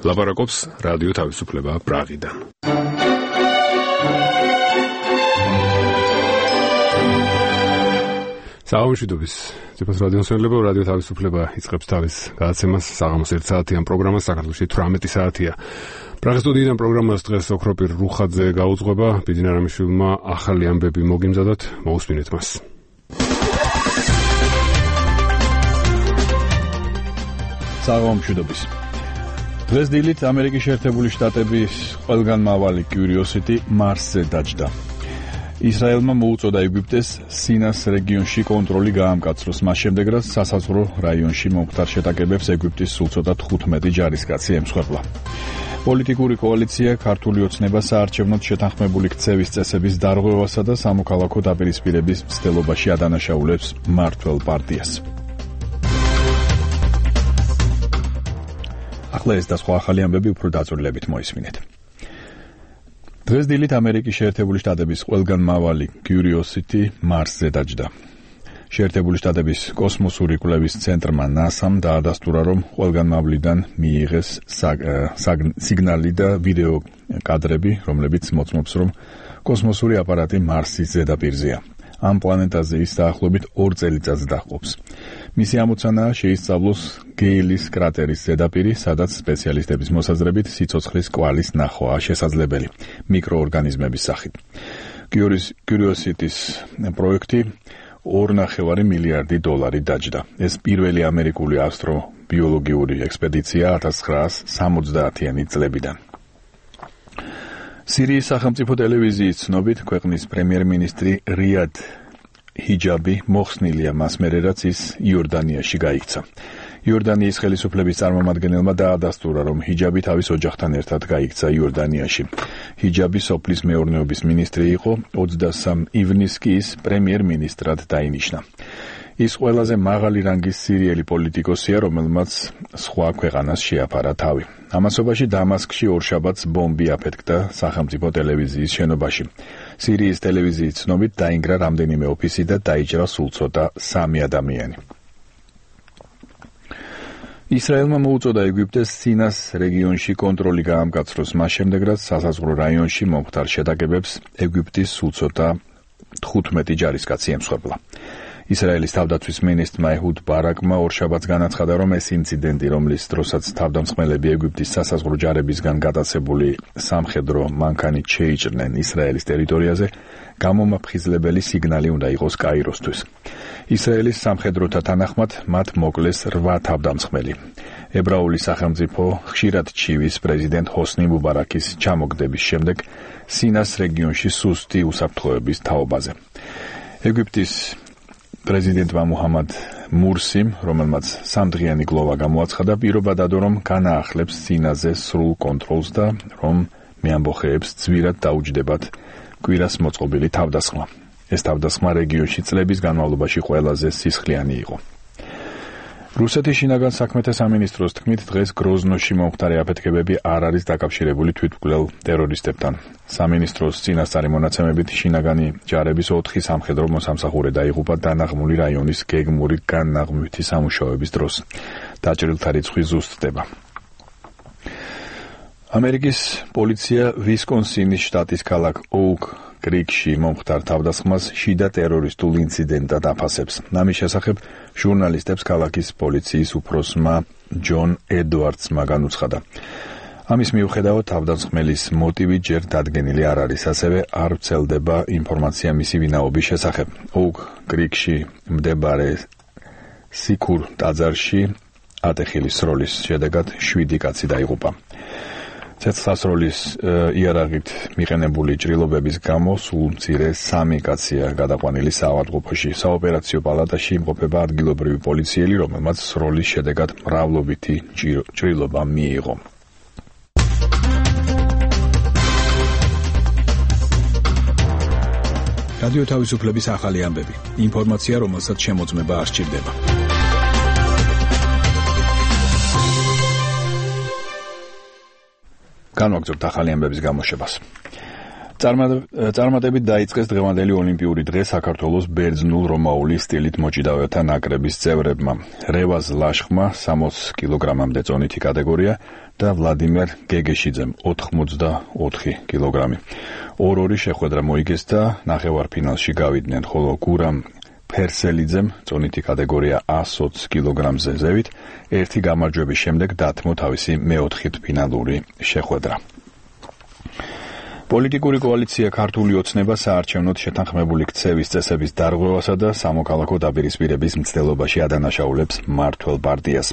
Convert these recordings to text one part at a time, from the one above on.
ლაპარაკობს რადიო თავისუფლება პრაღიდან. საამშვიდობის ძვირფას რადიოსმენელებო, რადიო თავისუფლება იწყებს თავის გადაცემას საღამოს 1 საათიან პროგრამას, საქართველოში 18 საათია. პრაღის სტუდიიდან პროგრამას დღეს ოქროპირ რუხაძე გაუძღვება, ბიძინა რამიშვილმა ახალი ამბები მოგიმზადოთ, მოусმინეთ მას. საამშვიდობის. დღეს დილით ამერიკის შეერთებული შტატების ყველგან მავალი კიურიოსიტი მარსზე დაჯდა. ისრაელმა მოუწოდა ეგვიპტეს სინას რეგიონში კონტროლი გაამკაცროს, მას შემდეგ რაც სასაზღვრო რაიონში მომხდარ შეტაკებებს ეგვიპტის სულ ცოტა 15 ჯარისკაცი ემსხვერპლა. პოლიტიკური კოალიცია ქართული ოცნება საარჩევნოდ შეთანხმებული ქცევის წესების დარღვევასა და სამოქალაქო დაპირისპირების მცდელობაში ადანაშაულებს მმართველ პარტიას. ახლა ეს და სხვა ახალი ამბები უფრო დაწვრილებით მოისმინეთ. დღეს დილით ამერიკის შეერთებული შტატების ყველგან მავალი კიურიოსიტი მარსზე დაჯდა. შეერთებული შტატების კოსმოსური კვლევის ცენტრმა NASA-მ დაადასტურა, რომ ყველგან მავლიდან მიიღეს სიგნალი და ვიდეო კადრები, რომლებიც მოწმობს, რომ კოსმოსური აპარატი მარსის ზედაპირზეა. ამ პლანეტაზე ის დაახლოებით 2 წელიწადს დაჰყოფს. მისი ამოცანაა შეისწავლოს გეილის კრატერის ზედაპირი, სადაც სპეციალისტების მოსაზრებით სიცოცხლის კვალის ნახვაა შესაძლებელი მიკროორგანიზმების სახით. კიურიოსიტის პროექტი $2.5 მილიარდი დაჯდა. ეს პირველი ამერიკული ასტრობიოლოგიური ექსპედიცია 1970-იანი წლებიდან. სირიის სახელმწიფო ტელევიზიის ცნობით, ქვეყნის პრემიერ-მინისტრი რიად ჰიჯაბი მოხსნილია მას მერე, რაც ის იორდანიაში გაიქცა. იორდანიის ხელისუფლების წარმომადგენელმა დაადასტურა, რომ ჰიჯაბი თავის ოჯახთან ერთად გაიქცა იორდანიაში. ჰიჯაბი სოფლის მეურნეობის მინისტრი იყო, 23 ივნისს კი ის პრემიერ-მინისტრად დაინიშნა. ის ყველაზე მაღალი რანგის სირიელი პოლიტიკოსია, რომელმაც სხვა ქვეყანას შეაფარა თავი. ამასობაში დამასკში ორშაბათს ბომბი აფეთქდა სახელმწიფო ტელევიზიის შენობაში. სირიის ტელევიზიის ცნობით დაინგრა რამდენიმე ოფისი და დაიჭრა სულ ცოტა 3 ადამიანი. ისრაელმა მოუწოდა ეგვიპტეს სინას რეგიონში კონტროლი გაამკაცროს, მას შემდეგ რაც სასაზღვრო რაიონში მომხდარ შეტაკებებს ეგვიპტის სულ ცოტა 15 ჯარისკაცი ემსხვერპლა. ისრაელის თავდაცვის მინისტრმა ეჰუდ ბარაკმა ორშაბათს განაცხადა, რომ ეს ინციდენტი, რომლის დროსაც თავდამსხმელები ეგვიპტის სასაზღვრო ჯარებისგან გადაცებული სამხედრო მანქანით შეიჭრნენ ისრაელის ტერიტორიაზე, გამომაფხიზლებელი სიგნალი უნდა იყოს კაიროსთვის. ისრაელის სამხედროთა თანახმად მათ მოკლეს 8 თავდამსხმელი. ებრაული სახელმწიფო ხშირად ჩივის პრეზიდენტ ჰოსნი მუბარაკის ჩამოგდების შემდეგ სინას რეგიონში სუსტი უსაფრთხოების თაობაზე. ეგვიპტის პრეზიდენტმა მუჰამად მურსიმ, რომელმაც 3დღიანი გლოვა გამოაცხადა, პირობა დადო, რომ განაახლებს სინაზე სრულ კონტროლს და რომ მეამბოხეებს ძვირად დაუჯდებათ კვირას მოწყობილი თავდასხმა. ეს თავდასხმა რეგიონში წლების განმავლობაში ყველაზე სისხლიანი იყო. რუსეთის შინაგან საქმეთა სამინისტროს თქმით, დღეს გროზნოში მომხდარი აფეთქებები არ არის დაკავშირებული თვითმკვლელ ტერორისტებთან. სამინისტროს წინასწარი მონაცემებით შინაგანი ჯარების 4 სამხედრო მოსამსახურე დაიღუპა დანაღმული რაიონის გეგმური განნაღმვითი სამუშაოების დროს. დაჭრილთა რიცხვი ზუსტდება. ამერიკის პოლიცია ვისკონსინის შტატის ქალაქ ოუკ კრიკში მომხდარ თავდასხმას შიდა ტერორისტულ ინციდენტად აფასებს. ამის შესახებ ჟურნალისტებს ქალაქის პოლიციის უფროსმა ჯონ ედვარდსმა განუცხადა. ამის მიუხედავად თავდამსხმელის მოტივი ჯერ დადგენილი არ არის, ასევე არ ვრცელდება ინფორმაცია მისი ვინაობის შესახებ. ოუკ კრიკში მდებარე სიქურ ტაძარში ატეხილი სროლის შედეგად 7 კაცი დაიღუპა. ცეცხლსასროლის იარაღით მიყენებული ჭრილობების გამო სულ მცირე 3 კაცია გადაყვანილი საავადმყოფოში. საოპერაციო პალატაში იმყოფება ადგილობრივი პოლიციელი, რომელმაც სროლის შედეგად მრავლობითი ჭრილობა მიიღო. რადიო თავისუფლების ახალი ამბები. ინფორმაცია, რომელსაც შემოწმება არ სჭირდება. განვაგრძობთ ახალი ამბების გამოშვებას. წარმატებით დაიწყეს დღევანდელი ოლიმპიური დღე საქართველოს ბერძნულ-რომაული სტილით მოჭიდავეთა ნაკრების წევრებმა. რევაზ ლაშხმა 60 კილოგრამამდე წონითი კატეგორია და ვლადიმერ გეგეშიძემ 84 კილოგრამი. 2-2 შეხვედრა მოიგეს და ნახევარფინალში გავიდნენ, ხოლო გურამ ფერსელიძემ წონითი კატეგორია 120 კილოგრამზე ზევით ერთი გამარჯვების შემდეგ დათმო თავისი მეოთხეფინალური შეხვედრა. პოლიტიკური კოალიცია ქართული ოცნება საარჩევნოდ შეთანხმებული ქცევის წესების დარღვევასა და სამოქალაქო დაპირისპირების მცდელობაში ადანაშაულებს მმართველ პარტიას.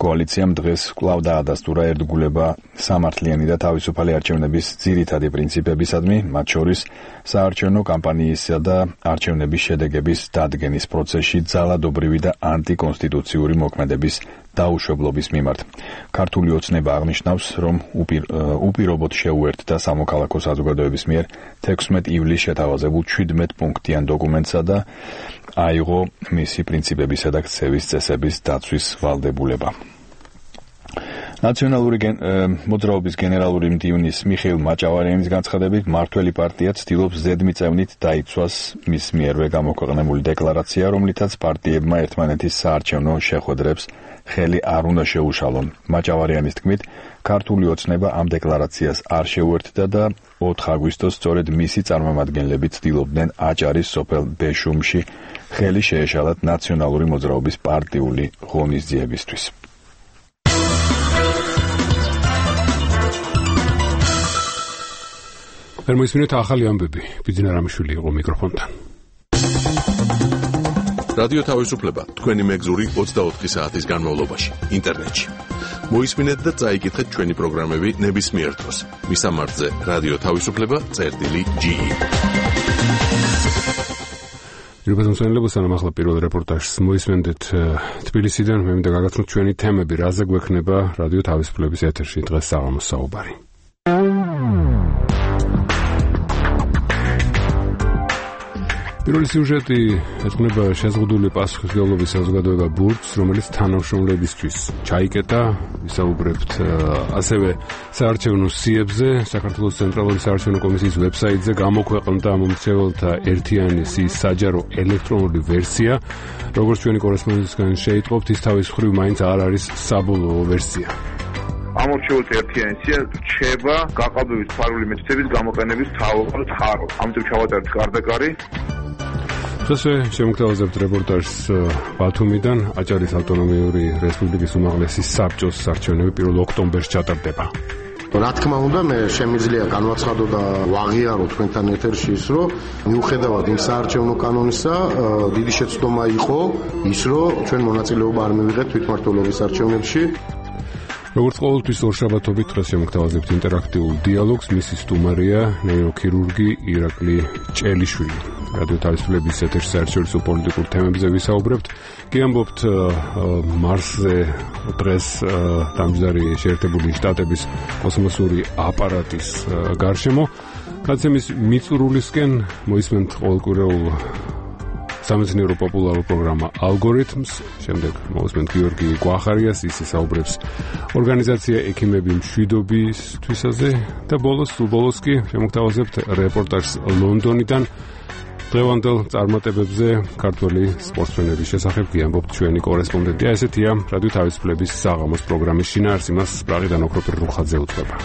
კოალიციამ დღეს კვლავ დაადასტურა ერთგულება სამართლიანი და თავისუფალი არჩევნების ძირითადი პრინციპებისადმი, მათ შორის საარჩევნო კამპანიისა და არჩევნების შედეგების დადგენის პროცესში ძალადობრივი და ანტიკონსტიტუციური მოქმედების დაუშვებლობის მიმართ. ქართული ოცნება აღნიშნავს, რომ უპირობოდ შეუერთდა სამოქალაქო საზოგადოების მიერ 16 ივლისს შეთავაზებულ 17 პუნქტიან დოკუმენტსა და აიღო მისი პრინციპებისა და ქცევის წესების დაცვის ვალდებულება. ნაციონალური მოძრაობის გენერალური მდივნის მიხეილ მაჭავარიანის განცხადებით, მმართველი პარტია ცდილობს ზედმიწევნით დაიცვას მის მიერვე გამოქვეყნებული დეკლარაცია, რომლითაც პარტიებმა ერთმანეთის საარჩევნო შეხვედრებს ხელი არ უნდა შეუშალონ. მაჭავარიანის თქმით, ქართული ოცნება ამ დეკლარაციას არ შეუერთდა და 4 აგვისტოს სწორედ მისი წარმომადგენლები ცდილობდნენ აჭარის სოფელ ბეშუმში ხელი შეეშალათ ნაციონალური მოძრაობის პარტიული ღონისძიებისთვის. მოისმინეთ ახალი ამბები. ბიძინა რამიშვილი იყო მიკროფონთან. რადიო თავისუფლება თქვენი მეგზური 24 საათის განმავლობაში ინტერნეტში. მოისმინეთ და წაიკითხეთ ჩვენი პროგრამები ნებისმიერ დროს. მისამართზე რადიო თავისუფლება.ge. რიბაზმსვენელებო, სანამ ახლა პირველ რეპორტაჟს მოისმენდეთ თბილისიდან, მე მინდა გაგაცნოთ ჩვენი თემები, რაზე გვექნება რადიო თავისუფლების ეთერში დღეს საღამოს საუბარი. პირველი სიუჟეტი ეძღვნება შეზღუდული პასუხისმგებლობის საზოგადოება ბურჯს, რომელიც თანამშრომლებისთვის ჩაიკეტა. ვისაუბრებთ ასევე საარჩევნო სიებზე. საქართველოს ცენტრალური საარჩევნო კომისიის ვებსაიტზე გამოქვეყნდა მომრჩეველთა ერთიანი სიის საჯარო ელექტრონული ვერსია. როგორც ჩვენი კორესპონდენტისგან შეიტყობთ, ის თავის მხრივ მაინც არ არის საბოლოო ვერსია. ამორჩეულთა ერთიანი სია რჩება გაყალბების ფარული მეთოდების გამოყენების თავალ წყარო. ამიტომ ჩავატარეთ გარდაკარი. დღესვე შემოგთავაზებთ რეპორტაჟს ბათუმიდან. აჭარის ავტონომიური რესპუბლიკის უმაღლესი საბჭოს არჩევნები 1 ოქტომბერს ჩატარდება. რა თქმა უნდა, მე შემიძლია განვაცხადო და ვაღიარო თქვენთან ეთერში ის, რომ მიუხედავად იმ საარჩევნო კანონისა, დიდი შეცდომა იყო ის, რომ ჩვენ მონაწილეობა არ მივიღეთ თვითმმართველობის არჩევნებში. როგორც ყოველთვის ორშაბათობით დღეს შემოგთავაზებთ ინტერაქტიულ დიალოგს. მისი სტუმარია ნეიროქირურგი ირაკლი ჭელიშვილი. რადიო თავისუფლების ეთერში საერთაშორისო პოლიტიკურ თემებზე ვისაუბრებთ. გიამბობთ მარსზე დღეს დამჯდარი შეერთებული შტატების კოსმოსური აპარატის გარშემო. გადაცემის მიწურულისკენ მოისმენთ ყოველკვირეულ სამეცნიერო პოპულარულ პროგრამა ალგორითმს. შემდეგ მოусმენთ გიორგი კვახარიას, ის საუბრებს ორგანიზაცია ექიმები მშვიდობისთვისაზე და ბოლოს კი შემოგთავაზებთ რეპორტაჟს ლონდონიდან. დღევანდელ წარმატებებზე ქართველი სპორტსმენების შესახებ გიამბობთ ჩვენი კორესპონდენტი. ესეთია რადიო თავისუფლების საღამოს პროგრამის შინაარსი, მას პრაღიდან ოქროპირ რუხაძე უძღვება.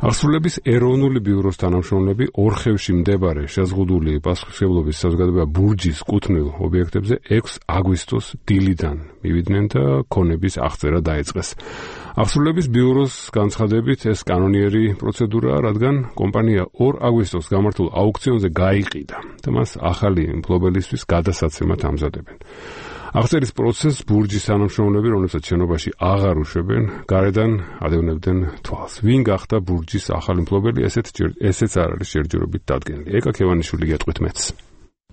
აღსრულების ეროვნული ბიუროს თანამშრომლები ორხევში მდებარე შეზღუდული პასუხისმგებლობის საზოგადოება ბურჯის კუთვნილ ობიექტებზე 6 აგვისტოს დილიდან მივიდნენ და ქონების აღწერა დაიწყეს. აღსრულების ბიუროს განცხადებით ეს კანონიერი პროცედურაა, რადგან კომპანია 2 აგვისტოს გამართულ აუქციონზე გაიყიდა და მას ახალი მფლობელისთვის გადასაცემად ამზადებენ. აღწერის პროცესს ბურჯის თანამშრომლები, რომლებსაც შენობაში აღარ უშვებენ, გარედან ადევნებდნენ თვალს. ვინ გახდა ბურჯის ახალი მფლობელი, ესეც არ არის ჯერჯერობით დადგენილი. ეკა ქევანიშვილი გეტყვით მეც.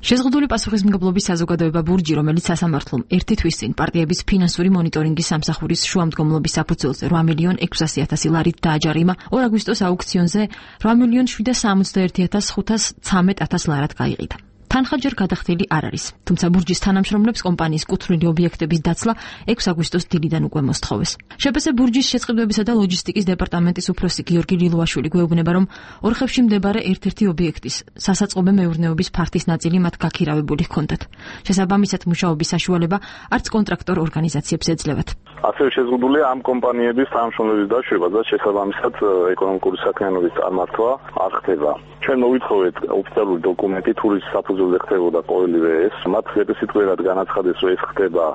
შეზღუდული პასუხისმგებლობის საზოგადოება ბურჯი, რომელიც სასამართლომ ერთი თვის წინ პარტიების ფინანსური მონიტორინგის სამსახურის შუამდგომლობის საფუძველზე 8,600,000 ლარით დააჯარიმა, 2 აგვისტოს აუქციონზე 8,761,513 ლარად გაიყიდა. თანხა ჯერ გადახდილი არ არის. თუმცა ბურჯის თანამშრომლებს კომპანიის კუთვნილი ობიექტების დაცლა 6 აგვისტოს დილიდან უკვე მოსთხოვეს. შპს ბურჯის შეწყებებისა და ლოჯისტიკის დეპარტამენტის უფროსი გიორგი ლილუაშვილი გვეუბნება, რომ ორხევში მდებარე ერთ-ერთი ობიექტის სასაწყობე მეურნეობის ფართის ნაწილი მათ გაქირავებული ჰქონდათ. შესაბამისად მუშაობის საშუალება არც კონტრაქტორ ორგანიზაციებს ეძლევათ. ასევე შეზღუდულია ამ კომპანიების თანამშრომლების დაშვება და შესაბამისად ეკონომიკური საქმიანობის წარმართვა არ ხდება. ჩვენ მოვითხოვეთ ოფიციალური დოკუმენტი, თურის საფუძველზე ხდებოდა ყოველივე ეს. მათ სპეციფიკურად განაცხადეს, რომ ეს ხდება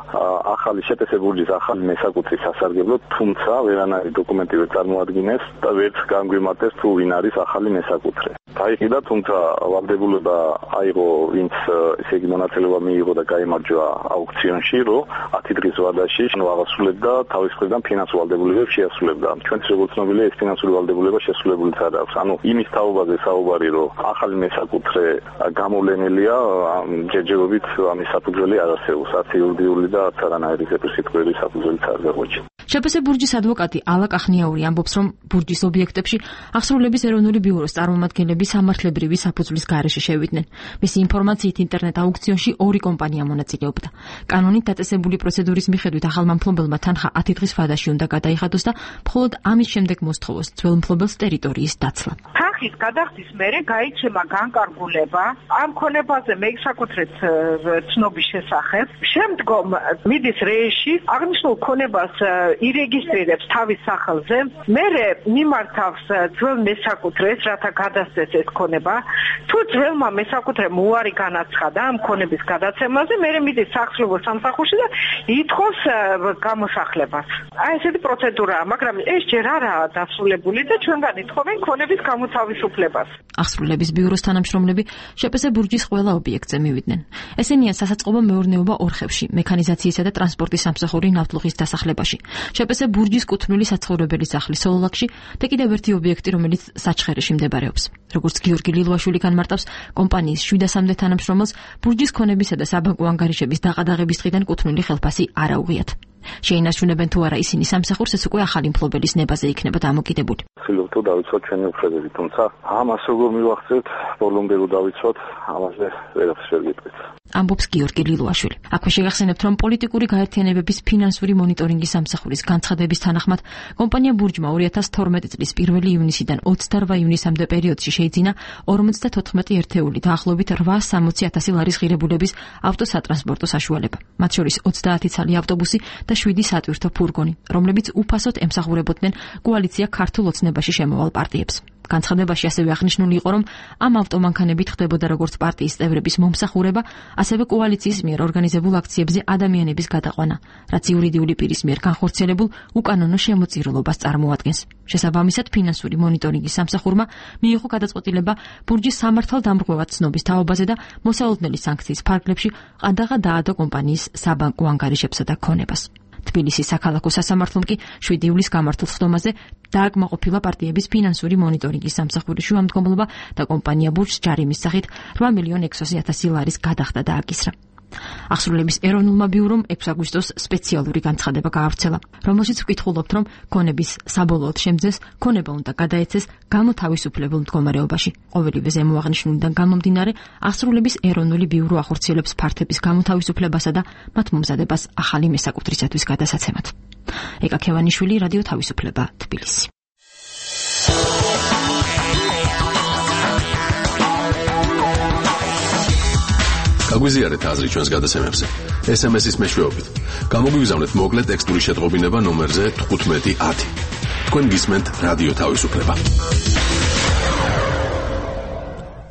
ახალი შპს ბურჯის ახალი მესაკუთრის სასარგებლოდ, თუმცა ვერანაირი დოკუმენტი ვერ წარმოადგინეს და ვერც განგვიმარტეს თუ ვინ არის ახალი მესაკუთრე. გაიყიდა, თუმცა ვალდებულება აიღო, ვინც ესე იგი მონაწილეობა მიიღო და გაიმარჯვა აუქციონში, რომ 10 დღის ვადაში აღასრულებდა თავის მხრიდან ფინანსურ ვალდებულებებს შეასრულებდა. ჩვენც როგორც ცნობილია, ეს ფინანსური ვალდებულება შესრულებულიც არ აქვს. ანუ იმის თაობაზე საუბარი, რომ ახალი მესაკუთრე გამოვლენილია, ჯერჯერობით ამის საფუძველი არ არსებობს. არც იურიდიული და არც არანაირი სპეციფიკური საფუძველიც არ გაგვაჩნია. შპს ბურჯის ადვოკატი ალა კახნიაური ამბობს, რომ ბურჯის ობიექტებში აღსრულების ეროვნული ბიუროს წარმომადგენლები სამართლებრივი საფუძვლის გარეშე შევიდნენ. მისი ინფორმაციით ინტერნეტ აუქციონში 2 კომპანია მონაწილეობდა. კანონით დაწესებული პროცედურის მიხედვით ახალმა მფლობელმა თანხა 10 დღის ვადაში უნდა გადაიხადოს და მხოლოდ ამის შემდეგ მოსთხოვოს ძველ მფლობელს ტერიტორიის დაცლა. თანხის გადახდის მერე გაიცემა განკარგულება ამ ქონებაზე მესაკუთრეთ ცნობის შესახებ. შემდგომ მიდის რეიში, აღნიშნულ ქონებას ირეგისტრირებს თავის სახელზე, მერე მიმართავს ძველ მესაკუთრეს, რათა გადასცეს ეს ქონება. თუ ძველმა მესაკუთრემ უარი განაცხადა ამ ქონების გადაცემაზე, მერე მიდის სახსრებო სამსახურში და ითხოვს გამოსახლებას. ესეთი პროცედურაა, მაგრამ ეს ჯერ არაა დასრულებული და ჩვენგან ითხოვენ ქონების გამოთავისუფლებას. აღსრულების ბიუროს თანამშრომლები შპს ბურჯის ყველა ობიექტზე მივიდნენ. ესენია სასაწყობო მეურნეობა ორხევში, მექანიზაციისა და ტრანსპორტის სამსახური ნავთლუღის დასახლებაში. შპს ბურჯის კუთვნილი საცხოვრებელი სახლი სოლოლაკში და კიდევ ერთი ობიექტი, რომელიც საჩხერეში მდებარეობს. როგორც გიორგი ლილუაშვილი განმარტავს, კომპანიის 700-მდე თანამშრომელს ბურჯის ქონებისა და საბანკო ანგარიშების დაყადაღების დღიდან კუთვნილი ხელფასი არ აუღიათ. შეინარჩუნებენ თუ არა ისინი სამსახურს, ეს უკვე ახალი მფლობელის ნებაზე იქნება დამოკიდებული. ვცდილობთ რომ დავიცვათ ჩვენი უფლებები, თუმცა ამას როგორ მივახცევთ, ბოლომდე რომ დავიცვათ, ამაზე ვერაფერს ვერ გეტყვით. ამბობს გიორგი ლილუაშვილი. აქვე შეგახსენებთ, რომ პოლიტიკური გაერთიანებების ფინანსური მონიტორინგის სამსახურის განცხადების თანახმად, კომპანია ბურჯმა 2012 წლის 1 ივნისიდან 28 ივნისამდე პერიოდში შეიძინა 54 ერთეული, დაახლოებით 860.000 ლარის ღირებულების ავტოსატრანსპორტო საშუალება. მათ შორის 30 ცალი ავტობუსი და 7 სატვირთო ფურგონი, რომლებიც უფასოდ ემსახურებოდნენ კოალიცია ქართულ ოცნებაში შემოვალ პარტიებს. განცხადებაში ასევე აღნიშნული იყო, რომ ამ ავტომანქანებით ხდებოდა როგორც პარტიის წევრების მომსახურება, ასევე კოალიციის მიერ ორგანიზებულ აქციებზე ადამიანების გადაყვანა, რაც იურიდიული პირის მიერ განხორციელებულ უკანონო შემოწირულობას წარმოადგენს. შესაბამისად, ფინანსური მონიტორინგის სამსახურმა მიიღო გადაწყვეტილება ბურჯის სამართალდამრღვევად ცნობის თაობაზე და მოსავალდნელი სანქციის ფარგლებში ყადაღა დაადო კომპანიის საბანკო ანგარიშებსა და ქონებას. თბილისის საქალაქო სასამართლომ კი 7 ივლისს გამართულ ხდომაზე დააკმაყოფილა პარტიების ფინანსური მონიტორინგის სამსახურის შუამდგომლობა და კომპანია ბურჯს ჯარიმის სახით 8.600.000 ლარის გადახდა დააკისრა. აღსრულების ეროვნულმა ბიურომ 6 აგვისტოს სპეციალური განცხადება გაავრცელა, რომელშიც ვკითხულობთ, რომ ქონების საბოლოოდ შემძეს ქონება უნდა გადაეცეს გამოთავისუფლებულ მდგომარეობაში. ყოველივე ზემოაღნიშნულიდან გამომდინარე, აღსრულების ეროვნული ბიურო ახორციელებს ფართების გამოთავისუფლებასა და მათ მომზადებას ახალი მესაკუთრისათვის გადასაცემად. ეკა ქევანიშვილი, რადიო თავისუფლება, თბილისი. გაგვიზიარეთ აზრი ჩვენს გადაცემებზე. SMS-ის მეშვეობით. გამოგვიგზავნეთ მოკლე ტექსტური შეტყობინება ნომერზე 1510. თქვენ გისმენთ რადიო თავისუფლება.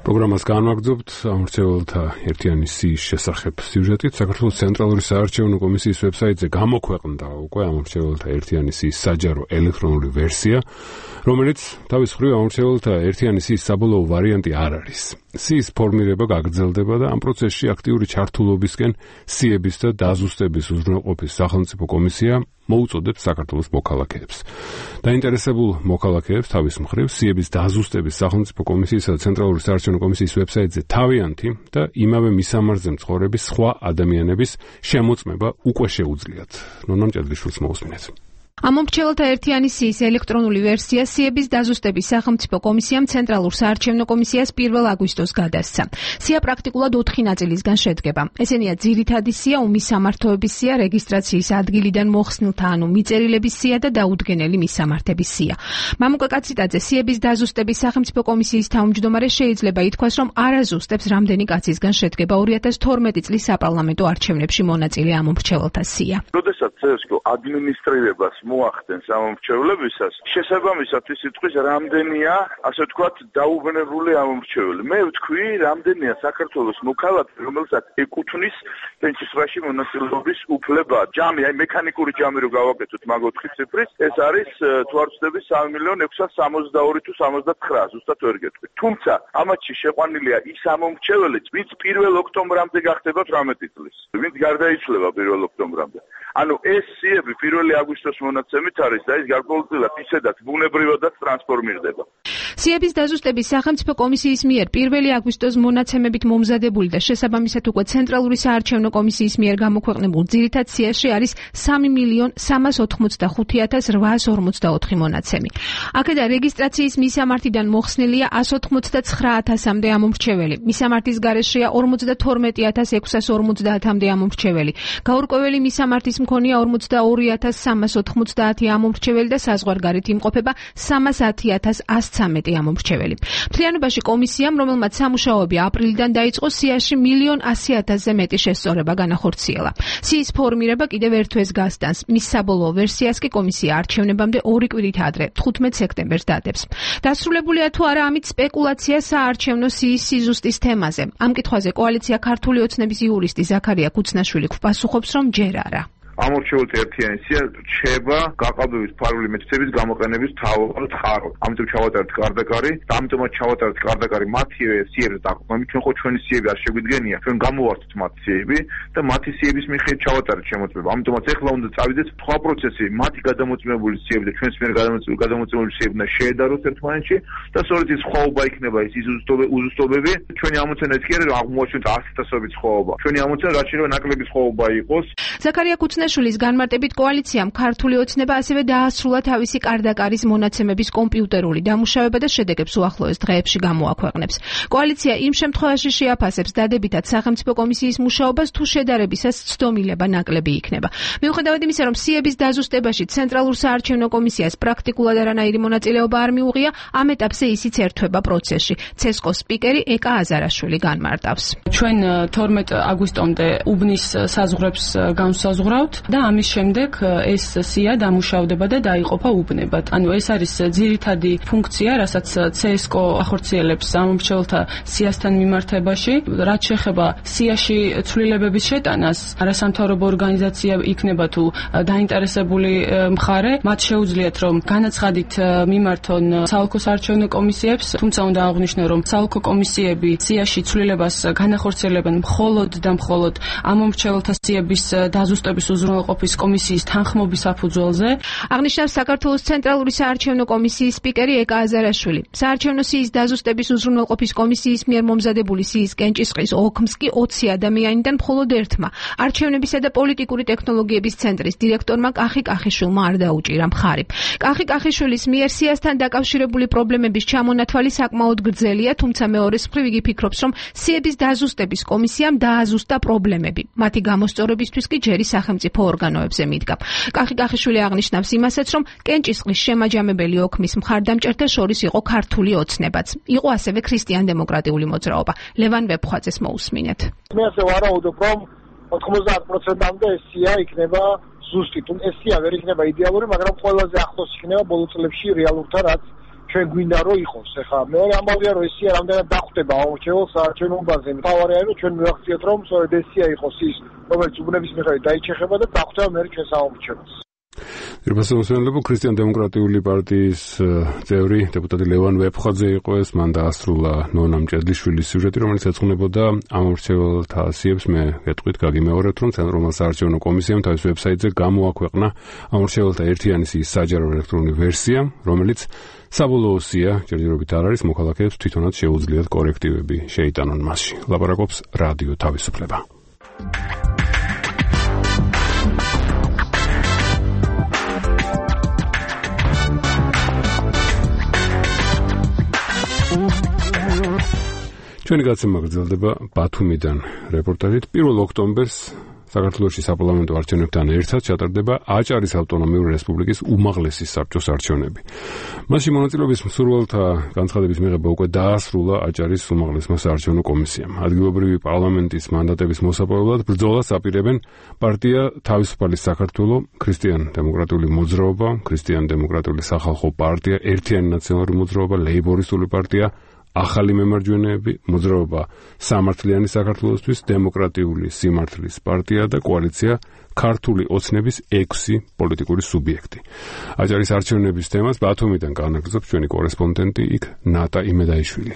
პროგრამას განვაგრძობთ ამორჩეულთა ერთიანი სიის შესახებ სიუჟეტით. საქართველოს ცენტრალური საარჩევნო კომისიის ვებსაიტზე გამოქვეყნდა უკვე ამორჩეულთა ერთიანი სიის საჯარო ელექტრონული ვერსია, რომელიც თავის მხრივ ამორჩეულთა ერთიანი სიის საბოლოო ვარიანტი არ არის. სიის ფორმირება გაგრძელდება და ამ პროცესში აქტიური ჩართულობისკენ სიების და დაზუსტების უზრუნველყოფის სახელმწიფო კომისია მოუწოდებს საქართველოს მოქალაქეებს. დაინტერესებულ მოქალაქეებს თავის მხრივ სიების დაზუსტების სახელმწიფო კომისიისა და ცენტრალური საარჩევნო კომისიის ვებსაიტზე თავიანთი და იმავე მისამართზე მცხოვრების სხვა ადამიანების შემოწმება უკვე შეუძლიათ. ნონამ ჭედრიშვილს მოусმინეთ. ამომრჩეველთა ერთიანი სიის ელექტრონული ვერსია სიების დაზუსტების სახელმწიფო კომისიამ ცენტრალურ საარჩევნო კომისიას 1 აგვისტოს გადასცა. სია პრაქტიკულად 4 ნაწილისგან შედგება. ესენია ძირითადი სია, უმისამართოების სია, რეგისტრაციის ადგილიდან მოხსნილთა ანუ მიწერილების სია და დაუდგენელი მისამართების სია. მამუკა კაციტაძე სიების დაზუსტების სახელმწიფო კომისიის თავმჯდომარე შეიძლება ითქვას, რომ არაზუსტებს რამდენი კაცისგან შედგება 2012 წლის საპარლამენტო არჩევნებში მონაწილე ამომრჩეველთა სია. როდესაც CSGO ადმინისტრირებას მოახდენს ამომრჩევლებისას, შესაბამისად ის იტყვის რამდენია, ასე ვთქვათ, დაუბრუნებული ამომრჩეველი. მე ვთქვი, რამდენია საქართველოს მოქალაქე, რომელსაც ეკუთვნის პენსიაში მონაწილეობის უფლება. ჯამი, აი მექანიკური ჯამი რო გავაკეთოთ მაგ 4 ციფრის, ეს არის თუ არ ვცდები 3.662 თუ 79, ზუსტად ვერ გეტყვი. თუმცა ამათში შეყვანილია ის ამომრჩეველიც, ვინც 1 ოქტომბრამდე გახდება 18 წლის. ვინც გარდაიცვალა 1 ოქტომბრამდე. ანუ ეს სიები 1 აგვისტოს მონაცემით არის და ის გარკვეულწილად ისედაც ბუნებრივადაც ტრანსფორმირდება. სიების დაზუსტების სახელმწიფო კომისიის მიერ 1 აგვისტოს მონაცემებით მომზადებული და შესაბამისად უკვე ცენტრალური საარჩევნო კომისიის მიერ გამოქვეყნებულ ძირითად სიაში არის 3.385.844 მონაცემი. აქედან რეგისტრაციის მისამართიდან მოხსნილია 189,000-მდე ამომრჩეველი. მისამართის გარეშეა 52,650-მდე ამომრჩეველი. გაურკვეველი მისამართის მქონია 42,390 ამომრჩეველი და საზღვარგარეთ იმყოფება 310,113 ამომრჩეველი. მთლიანობაში კომისიამ, რომელმაც სამუშაოები აპრილიდან დაიწყო, სიაში 1,100,000-ზე მეტი შესწორება განახორციელა. სიის ფორმირება კიდევ ერთვეს გასტანს. მის საბოლოო ვერსიას კი კომისია არჩევნებამდე 2 კვირით ადრე, 15 სექტემბერს დადებს. დასრულებულია თუ არა ამით სპეკულაცია საარჩევნო სიის სიზუსტის თემაზე. ამ კითხვაზე კოალიცია ქართული ოცნების იურისტი ზაქარია კუცნაშვილი პასუხობს, რომ ჯერ არა. ამორჩეულთა ერთიანი სია რჩება გაყალბების ფარული მეთოდების გამოყენების თავად ხარო. ამიტომ ჩავატარეთ კარდაკარი და ამიტომაც ჩავატარეთ კარდაკარი მათივე სიებზე დაყრდნობით. ჩვენ ხო ჩვენი სიები არ შეგვიდგენია, ჩვენ გამოვართთ მათი სიები და მათი სიების მიხედვით ჩავატარეთ შემოწმება. ამიტომაც ეხლა უნდა წავიდეთ სხვა პროცესი, მათი გადამოწმებული სიები და ჩვენს მიერ გადამოწმებული სიები და შეედაროთ ერთმანეთში და სწორედ ის სხვაობა იქნება ის უზუსტობები. ჩვენი ამოცანა ის კი არის, რომ აღმოაჩინოთ 100,000-ობით სხვაობა. ჩვენი ამოცანა რაც შეიძლება ნაკლები სხვაობა იყოს. ზაქარია კუცნაშვილის განმარტებით კოალიციამ ქართული ოცნება ასევე დაასრულა თავისი კარდაკარის მონაცემების კომპიუტერული დამუშავება და შედეგებს უახლოეს დღეებში გამოაქვეყნებს. კოალიცია იმ შემთხვევაში შეაფასებს დადებითად სახელმწიფო კომისიის მუშაობას, თუ შედარებისას ცდომილება ნაკლები იქნება. მიუხედავად იმისა, რომ სიების დაზუსტებაში ცენტრალურ საარჩევნო კომისიას პრაქტიკულად არანაირი მონაწილეობა არ მიუღია, ამ ეტაპზე ისიც ერთვება პროცესში. CSGO-ს სპიკერი ეკა აზარაშვილი განმარტავს. ჩვენ 12 აგვისტომდე უბნის საზღვრებს განსაზღვრავთ და ამის შემდეგ ეს სია დამუშავდება და დაიყოფა უბნებად. ანუ ეს არის ძირითადი ფუნქცია, რასაც CSGO ახორციელებს ამომრჩეველთა სიასთან მიმართებაში. რაც შეეხება სიაში ცვლილებების შეტანას, არასამთავრობო ორგანიზაცია იქნება თუ დაინტერესებული მხარე, მათ შეუძლიათ რომ განაცხადით მიმართონ საოლქო საარჩევნო კომისიებს, თუმცა უნდა აღვნიშნო, რომ საოლქო კომისიები სიაში ცვლილებას განახორციელებენ მხოლოდ და მხოლოდ ამომრჩეველთა სიების დაზუსტების უზრუნველყოფის კომისიის თანხმობის საფუძველზე. აღნიშნავს საქართველოს ცენტრალური საარჩევნო კომისიის სპიკერი ეკა აზარაშვილი. საარჩევნო სიის დაზუსტების უზრუნველყოფის კომისიის მიერ მომზადებული სიის კენჭისყრის ოქმს კი 20 ადამიანიდან მხოლოდ ერთმა, არჩევნებისა და პოლიტიკური ტექნოლოგიების ცენტრის დირექტორმა კახი კახიშვილმა არ დაუჭირა მხარი. კახი კახიშვილის მიერ სიასთან დაკავშირებული პრობლემების ჩამონათვალი საკმაოდ გრძელია, თუმცა მეორეს მხრივ იგი ფიქრობს, რომ სიების დაზუსტების კომისიამ დააზუსტა პრობლემები. მათი გამოსწორებისთვის კი ჯერი სახელმწიფო ორგანოებზე მიდგა. კახი კახიშვილი აღნიშნავს იმასაც, რომ კენჭისყრის შემაჯამებელი ოქმის მხარდამჭერთა შორის იყო ქართული ოცნებაც. იყო ასევე ქრისტიან-დემოკრატიული მოძრაობა. ლევან ვეფხვაძეს მოусმინეთ. მე ასე ვარაუდობ, რომ 90%-მდე ეს სია იქნება ზუსტი. ეს სია ვერ იქნება იდეალური, მაგრამ ყველაზე ახლოს იქნება ბოლო წლებში რეალურთან, რაც ჩვენ გვინდა რომ იყოს. ეხლა მეორე ამბავია, რომ ეს სია რამდენად დახვდება ამორჩეულ საარჩევნოებაზე. თავარია, რომ ჩვენ მივახციეთ, რომ სწორედ ეს სია იყოს ის, რომელიც უბნების მიხედვით დაიჩეხება და დახვდება მე ჩვენ საამორჩეულს. ერბასმოსენლებო ქრისტიან-დემოკრატიული პარტიის წევრი დეპუტატი ლევან ვეფხვაძე იყო ეს, მან დაასრულა ნონა მჭედლიშვილის სიუჟეტი, რომელიც ეძღვნებოდა ამომრჩეველთა სიებს. მე გეტყვით, გაგიმეორებთ, რომ ცენტრალურ საარჩევნო კომისიამ თავის ვებსაიტზე გამოაქვეყნა ამომრჩეველთა ერთიანი სიის საჯარო ელექტრონული ვერსია, რომელიც საბოლოო სია ჯერჯერობით არ არის, მოქალაქეებს თვითონაც შეუძლიათ კორექტივები შეიტანონ მასში. ლაპარაკობს რადიო თავისუფლება. ჩვენი გაცემა გრძელდება ბათუმიდან რეპორტაჟით. 1 ოქტომბერს საქართველოში საპარლამენტო არჩევნებთან ერთად ჩატარდება აჭარის ავტონომიური რესპუბლიკის უმაღლესი საბჭოს არჩევნები. მასში მონაწილეობის მსურველთა განცხადების მიღება უკვე დაასრულა აჭარის უმაღლესმა საარჩევნო კომისიამ. ადგილობრივი პარლამენტის მანდატების მოსაპოვებლად ბრძოლას აპირებენ პარტია თავისუფალი საქართველო, ქრისტიან-დემოკრატიული მოძრაობა, ქრისტიან-დემოკრატიული სახალხო პარტია, ერთიანი ნაციონალური მოძრაობა, ლეიბორისტული პარტია, ახალი მემარჯვენეები, მოძრაობა სამართლიანი საქართველოსთვის, დემოკრატიული სიმართლის პარტია და კოალიცია ქართული ოცნების 6 პოლიტიკური სუბიექტი. აჭარის არჩევნების თემას ბათუმიდან განაგრძობს ჩვენი კორესპონდენტი იქ ნატა იმედაიშვილი.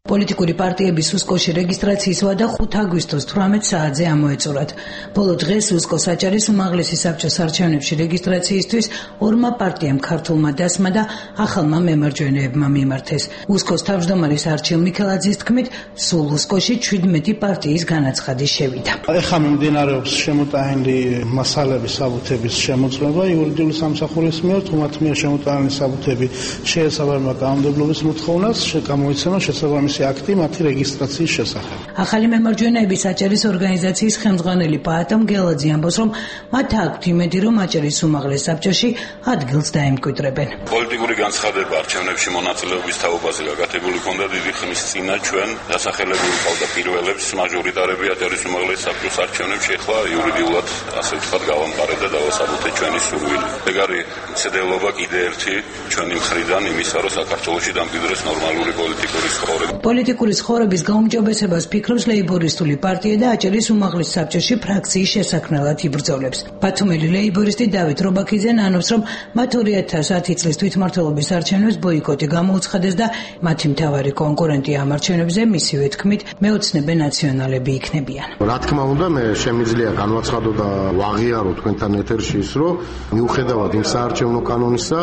პოლიტიკური პარტიების უსკოში რეგისტრაციის ვადა 5 აგვისტოს 18 საათზე ამოეწურათ. ბოლო დღეს უსკოს აჭარის უმაღლესი საბჭოს არჩევნებში რეგისტრაციისთვის 2 პარტიამ ქართულმა დასმა და ახალმა მემარჯვენეებმა მიმართეს. უსკოს თავმჯდომარის არჩილ მიქელაძის თქმით, სულ უსკოში 17 პარტიის განაცხადი შევიდა. ეხლა მიმდინარეობს შემოტანილი მასალების საბუთების შემოწმება იურიდიული სამსახურის მიერ, თუმცა მიერ შემოტანილი საბუთები შეესაბამება კანონმდებლობის მოთხოვნას, გამოიცემა შესაბამისი აქტი მათი რეგისტრაციის შესახებ. ახალი მემარჯვენეების აჭარის ორგანიზაციის ხელმძღვანელი პაატა მგელაძე ამბობს, რომ მათ აქვთ იმედი, რომ აჭარის უმაღლეს საბჭოში ადგილს დაემკვიდრებენ. პოლიტიკური განცხადება არჩევნებში მონაწილეობის თაობაზე გაკეთებული ჰქონდა დიდი ხნის წინა ჩვენ დასახელებული ყავდა პირველებს მაჟორიტარები აჭარის უმაღლეს საბჭოს არჩევნებში, ახლა იურიდიულად ასე ვთქვათ გავამყარეთ და დავასაბუთე ჩვენი სურვილი. ეგ არის მცდელობა კიდე ერთი ჩვენი მხრიდან იმისა, რომ საქართველოში დამკვიდრდეს ნორმალური პოლიტიკური ცხოვრება. პოლიტიკური ცხოვრების გაუმჯობესებას ფიქრობს ლეიბორისტული პარტია და აჭარის უმაღლეს საბჭოში ფრაქციის შესაქმნელად იბრძოლებს. ბათუმელი ლეიბორისტი დავით რობაქიძე ნანობს, რომ მათ 2010 წლის თვითმმართველობის არჩევნებს ბოიკოტი გამოუცხადეს და მათი მთავარი კონკურენტი ამ არჩევნებზე მისივე თქმით მეოცნებე ნაციონალები იქნებიან. რა თქმა უნდა, მე შემიძლია განვაცხადო და ვაღიარო თქვენთან ეთერში ის, რომ მიუხედავად იმ საარჩევნო კანონისა,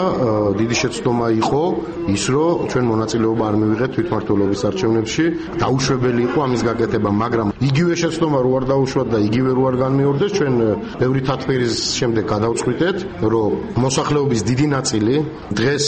დიდი შეცდომა იყო ის, რომ ჩვენ მონაწილეობა არ მივიღეთ თვითმმართველობის არჩევნებში, დაუშვებელი იყო ამის გაკეთება, მაგრამ იგივე შეცდომა რო არ დაუშვათ და იგივე რო არ განმეორდეს, ჩვენ ბევრი თათბირის შემდეგ გადავწყვიტეთ, რომ მოსახლეობის დიდი ნაწილი დღეს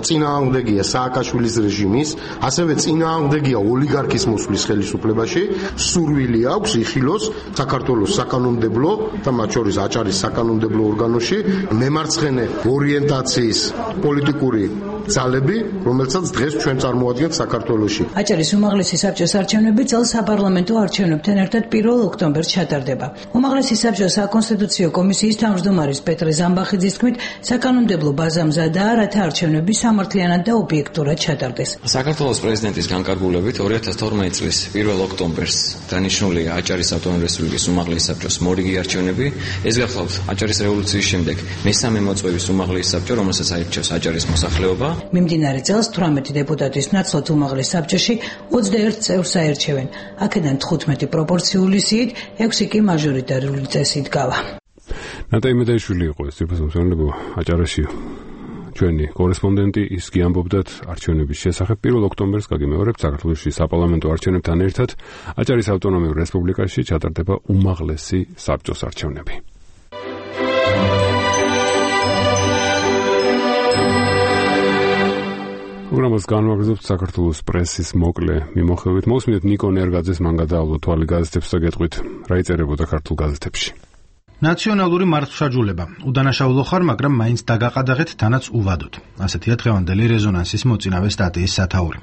წინააღმდეგია სააკაშვილის რეჟიმის, ასევე წინააღმდეგია ოლიგარქის მოსვლის ხელისუფლებაში, სურვილი აქვს იხილოს საქართველოს საკანონმდებლო და მათ შორის აჭარის საკანონმდებლო ორგანოში მემარცხენე ორიენტაციის პოლიტიკური ძალები, რომელსაც დღეს ჩვენ წარმოადგენთ საქართველოში. აჭარის უმაღლესი საბჭოს არჩევნები წელს საპარლამენტო არჩევნებთან ერთად 1 ოქტომბერს ჩატარდება. უმაღლესი საბჭოს საკონსტიტუციო კომისიის თავმჯდომარის პეტრე ზამბახიძის თქმით, საკანონმდებლო ბაზა მზადაა, რათა არჩევნები სამართლიანად და ობიექტურად ჩატარდეს. საქართველოს პრეზიდენტის განკარგულებით 2012 წლის 1 ოქტომბერს დანიშნულია აჭარის ავტონომიური რესპუბლიკის უმაღლესი საბჭოს მორიგი არჩევნები. ეს გახლავთ აჭარის რევოლუციის შემდეგ მესამე მოწვევის უმაღლესი საბჭო, რომელსაც აირჩევს აჭარის მოსახლეობა. მიმდინარე წელს 18 დეპუტატის ნაცვლად უმაღლეს საბჭოში 21 წევრს აერჩევენ. აქედან 15 პროპორციული სიით, 6 კი მაჟორიტარული წესით გავა. ნატა იმედაიშვილი იყო ეს ციფროსამსახურებო აჭარაში ჩვენი კორესპონდენტი, ის კი ამბობდათ არჩევნების შესახებ. 1 ოქტომბერს გაგიმეორებთ, საქართველოში საპარლამენტო არჩევნებთან ერთად აჭარის ავტონომიურ რესპუბლიკაში ჩატარდება უმაღლესი საბჭოს არჩევნები. პროგრამას განვაგრძობთ საქართველოს პრესის მოკლე მიმოხილვით. მოსმენთ ნიკო ნერგაძეს, მან გადაავლო თვალი გაზეთებს და გეტყვით რა იწერებოდა ქართულ გაზეთებში. ნაციონალური მართლმსაჯულება. უდანაშაულო ხარ, მაგრამ მაინც დაგაყადაღეთ თანაც უვადოთ. ასეთია დღევანდელი რეზონანსის მოწინავე სტატიის სათაური.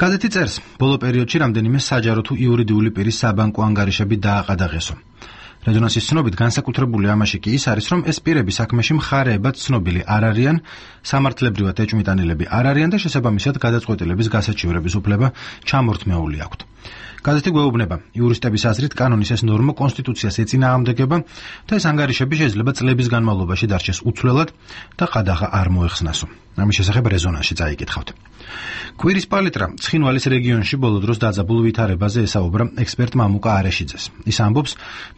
გაზეთი წერს, ბოლო პერიოდში რამდენიმე საჯარო თუ იურიდიული პირის საბანკო ანგარიშები დააყადაღესო. რეზონანსის ცნობით განსაკუთრებული ამაში კი ის არის, რომ ეს პირები საქმეში მხარეებად ცნობილი არ არიან, სამართლებრივად ეჭვმიტანილები არ არიან და შესაბამისად გადაწყვეტილების გასაჩივრების უფლება ჩამორთმეული აქვთ. გაზეთი გვეუბნება, იურისტების აზრით კანონის ეს ნორმა კონსტიტუციას ეწინააღმდეგება და ეს ანგარიშები შეიძლება წლების განმავლობაში დარჩეს უცვლელად და ყადაღა არ მოეხსნასო. ამის შესახებ რეზონანსში წაიკითხავთ. კვირის პალიტრა ცხინვალის რეგიონში ბოლო დროს დაძაბულ ვითარებაზე ესაუბრა ექსპერტ მამუკა არეშიძეს. ის ამბობს,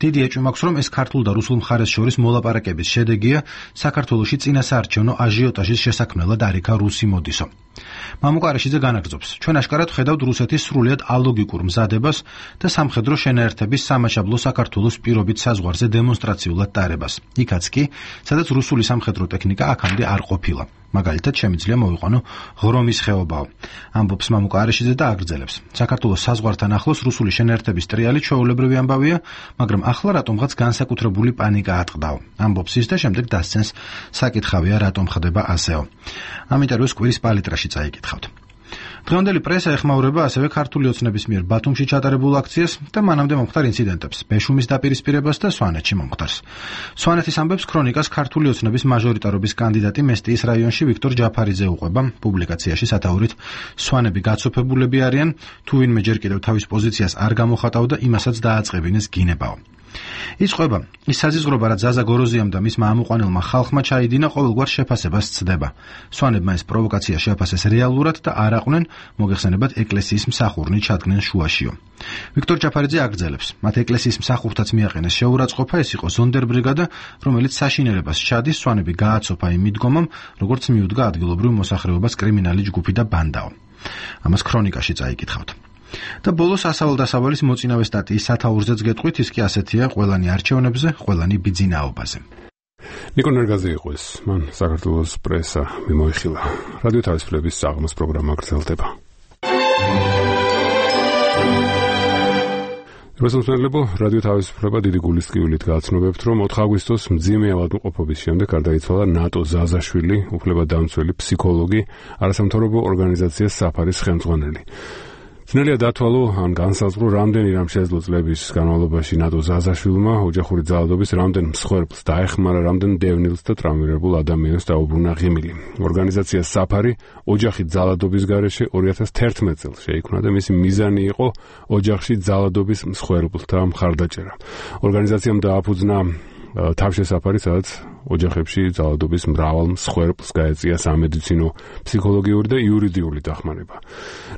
დიდი ეჭვი მაქვს, რომ ეს ქართულ და რუსულ მხარეს შორის მოლაპარაკების შედეგია საქართველოში წინასაარჩევნო აჟიოტაჟის შესაქმნელად არ იქა რუსი მოდისო. მამუკა არეშიძე განაგრძობს, ჩვენ აშკარად ხედავთ რუსეთის სრულიად ალოგიკურ პოლიტიკურ მზადებას და სამხედრო შენაერთების სამაშაბლო საქართველოს პირობით საზღვარზე დემონსტრაციულად ტარებას. იქაც კი, სადაც რუსული სამხედრო ტექნიკა აქამდე არ ყოფილა. მაგალითად, შემიძლია მოვიყვანო ღრომის ხეობაო. ამბობს მამუკა არეშიძე და აგრძელებს. საქართველოს საზღვართან ახლოს რუსული შენაერთების ტრიალი ჩვეულებრივი ამბავია, მაგრამ ახლა რატომღაც განსაკუთრებული პანიკა ატყდაო. ამბობს ის და შემდეგ დასცენს საკითხავია რატომ ხდება ასეო. ამ ინტერვიუს კვირის პალიტრაში წაიკითხავთ. დღევანდელი პრესა ეხმაურება ასევე ქართული ოცნების მიერ ბათუმში ჩატარებულ აქციას და მანამდე მომხდარ ინციდენტებს, ბეშუმის დაპირისპირებას და სვანეთში მომხდარს. სვანეთის ამბებს ქრონიკას ქართული ოცნების მაჟორიტარობის კანდიდატი მესტიის რაიონში ვიქტორ ჯაფარიძე უყვება. პუბლიკაციაში სათაურით სვანები გაცოფებულები არიან, თუ ვინმე ჯერ კიდევ თავის პოზიციას არ გამოხატავდა, იმასაც დააწყებინეს გინებაო. იწყვება ის საზიზღრობა, რაც ზაზა გოროზიამ და მისმა ამოყვანილმა ხალხმა ჩაიდინა, ყოველგვარ შეფასებას ცდება. სვანებმა ეს პროვოკაცია შეაფასეს რეალურად და არ აყვნენ, მოგეხსენებათ, ეკლესიის მსახურნი ჩადგნენ შუაშიო. ვიქტორ ჯაფარიძე აგრძელებს, მათ ეკლესიის მსახურთაც მიაყენეს შეურაცხყოფა, ეს იყო ზონდერ ბრიგადა, რომელიც საშინელებას ჩადის, სვანები გააცოფა იმ მიდგომამ, როგორც მიუდგა ადგილობრივ მოსახლეობას კრიმინალი ჯგუფი და ბანდაო. ამას ქრონიკაში წაიკითხავთ. და ბოლოს ასავალ-დასავალის მოწინავე სტატიის სათაურზეც გეტყვით, ის კი ასეთია, ყველანი არჩევნებზე, ყველანი ბიძინაობაზე. ნიკო ნერგაძე იყო ეს, მან საქართველოს პრესა მიმოიხილა. რადიო თავისუფლების საღამოს პროგრამა გრძელდება. რუსეთელებო რადიო თავისუფლება დიდი გულისწყივლით გააცნობებთ, რომ 4 აგვისტოს მძიმე ავადმყოფობის შემდეგ გარდაიცვალა ნატო ზაზაშვილი, უფლებადამცველი ფსიქოლოგი, არასამთავრობო ორგანიზაცია საფარის ხელმძღვანელი. ძნელია დათვალო ან განსაზღვრო, რამდენი რამ შეძლო წლების განმავლობაში ნატო ზაზაშვილმა ოჯახური ძალადობის რამდენ მსხვერპლს დაეხმარა, რამდენ დევნილს და ტრავმირებულ ადამიანს დაუბრუნა ღიმილი. ორგანიზაცია საფარი ოჯახი ძალადობის გარეშე 2011 წელს შეიქმნა და მისი მიზანი იყო ოჯახში ძალადობის მსხვერპლთა მხარდაჭერა. ორგანიზაციამ დააფუძნა თავშესაფარი, სადაც ოჯახებში ძალადობის მრავალ მსხვერპლს გაეწია სამედიცინო, ფსიქოლოგიური და იურიდიული დახმარება.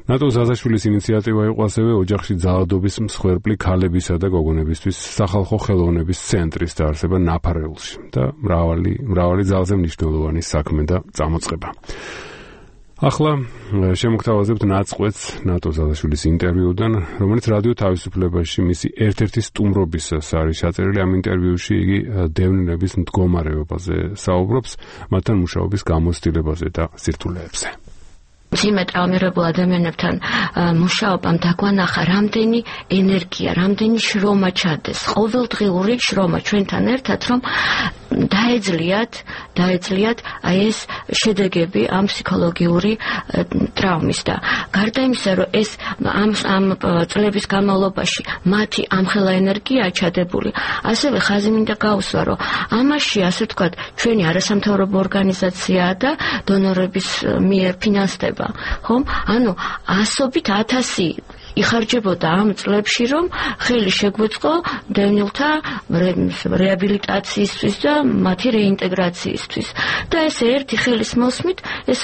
ნატო ზაზაშვილის ინიციატივა იყო ასევე ოჯახში ძალადობის მსხვერპლი ქალებისა და გოგონებისთვის სახალხო ხელოვნების ცენტრის დაარსება ნაფარეულში და მრავალი ძალზე მნიშვნელოვანი საქმე და წამოწყება. ახლა შემოგთავაზებთ ნაწყვეტს ნატო ზაზაშვილის ინტერვიუდან, რომელიც რადიო თავისუფლებაში მისი ერთ-ერთი სტუმრობისას არის ჩაწერილი. ამ ინტერვიუში იგი დევნილების მდგომარეობაზე საუბრობს, მათთან მუშაობის გამოცდილებაზე და სირთულეებზე. ძიმე ტრავმირებულ ადამიანებთან მუშაობამ დაგვანახა, რამდენი ენერგია, რამდენი შრომა ჩადეს, ყოველდღიური შრომა ჩვენთან ერთად, რომ დაეძლიათ აი ეს შედეგები ამ ფსიქოლოგიური ტრავმის და გარდა იმისა, რომ ეს ამ წლების განმავლობაში მათი ამხელა ენერგია ჩადებული, ასევე ხაზი მინდა გაუსვა, რომ ამაში ასე ვთქვათ, ჩვენი არასამთავრობო ორგანიზაცია და დონორების მიერ ფინანსდება, ხომ? ანუ ასობით 1000 იხარჯებოდა ამ წლებში, რომ ხელი შეგვეწყო დევნილთა რეაბილიტაციისთვის და მათი რეინტეგრაციისთვის. და ეს ერთი ხელის მოსმით, ეს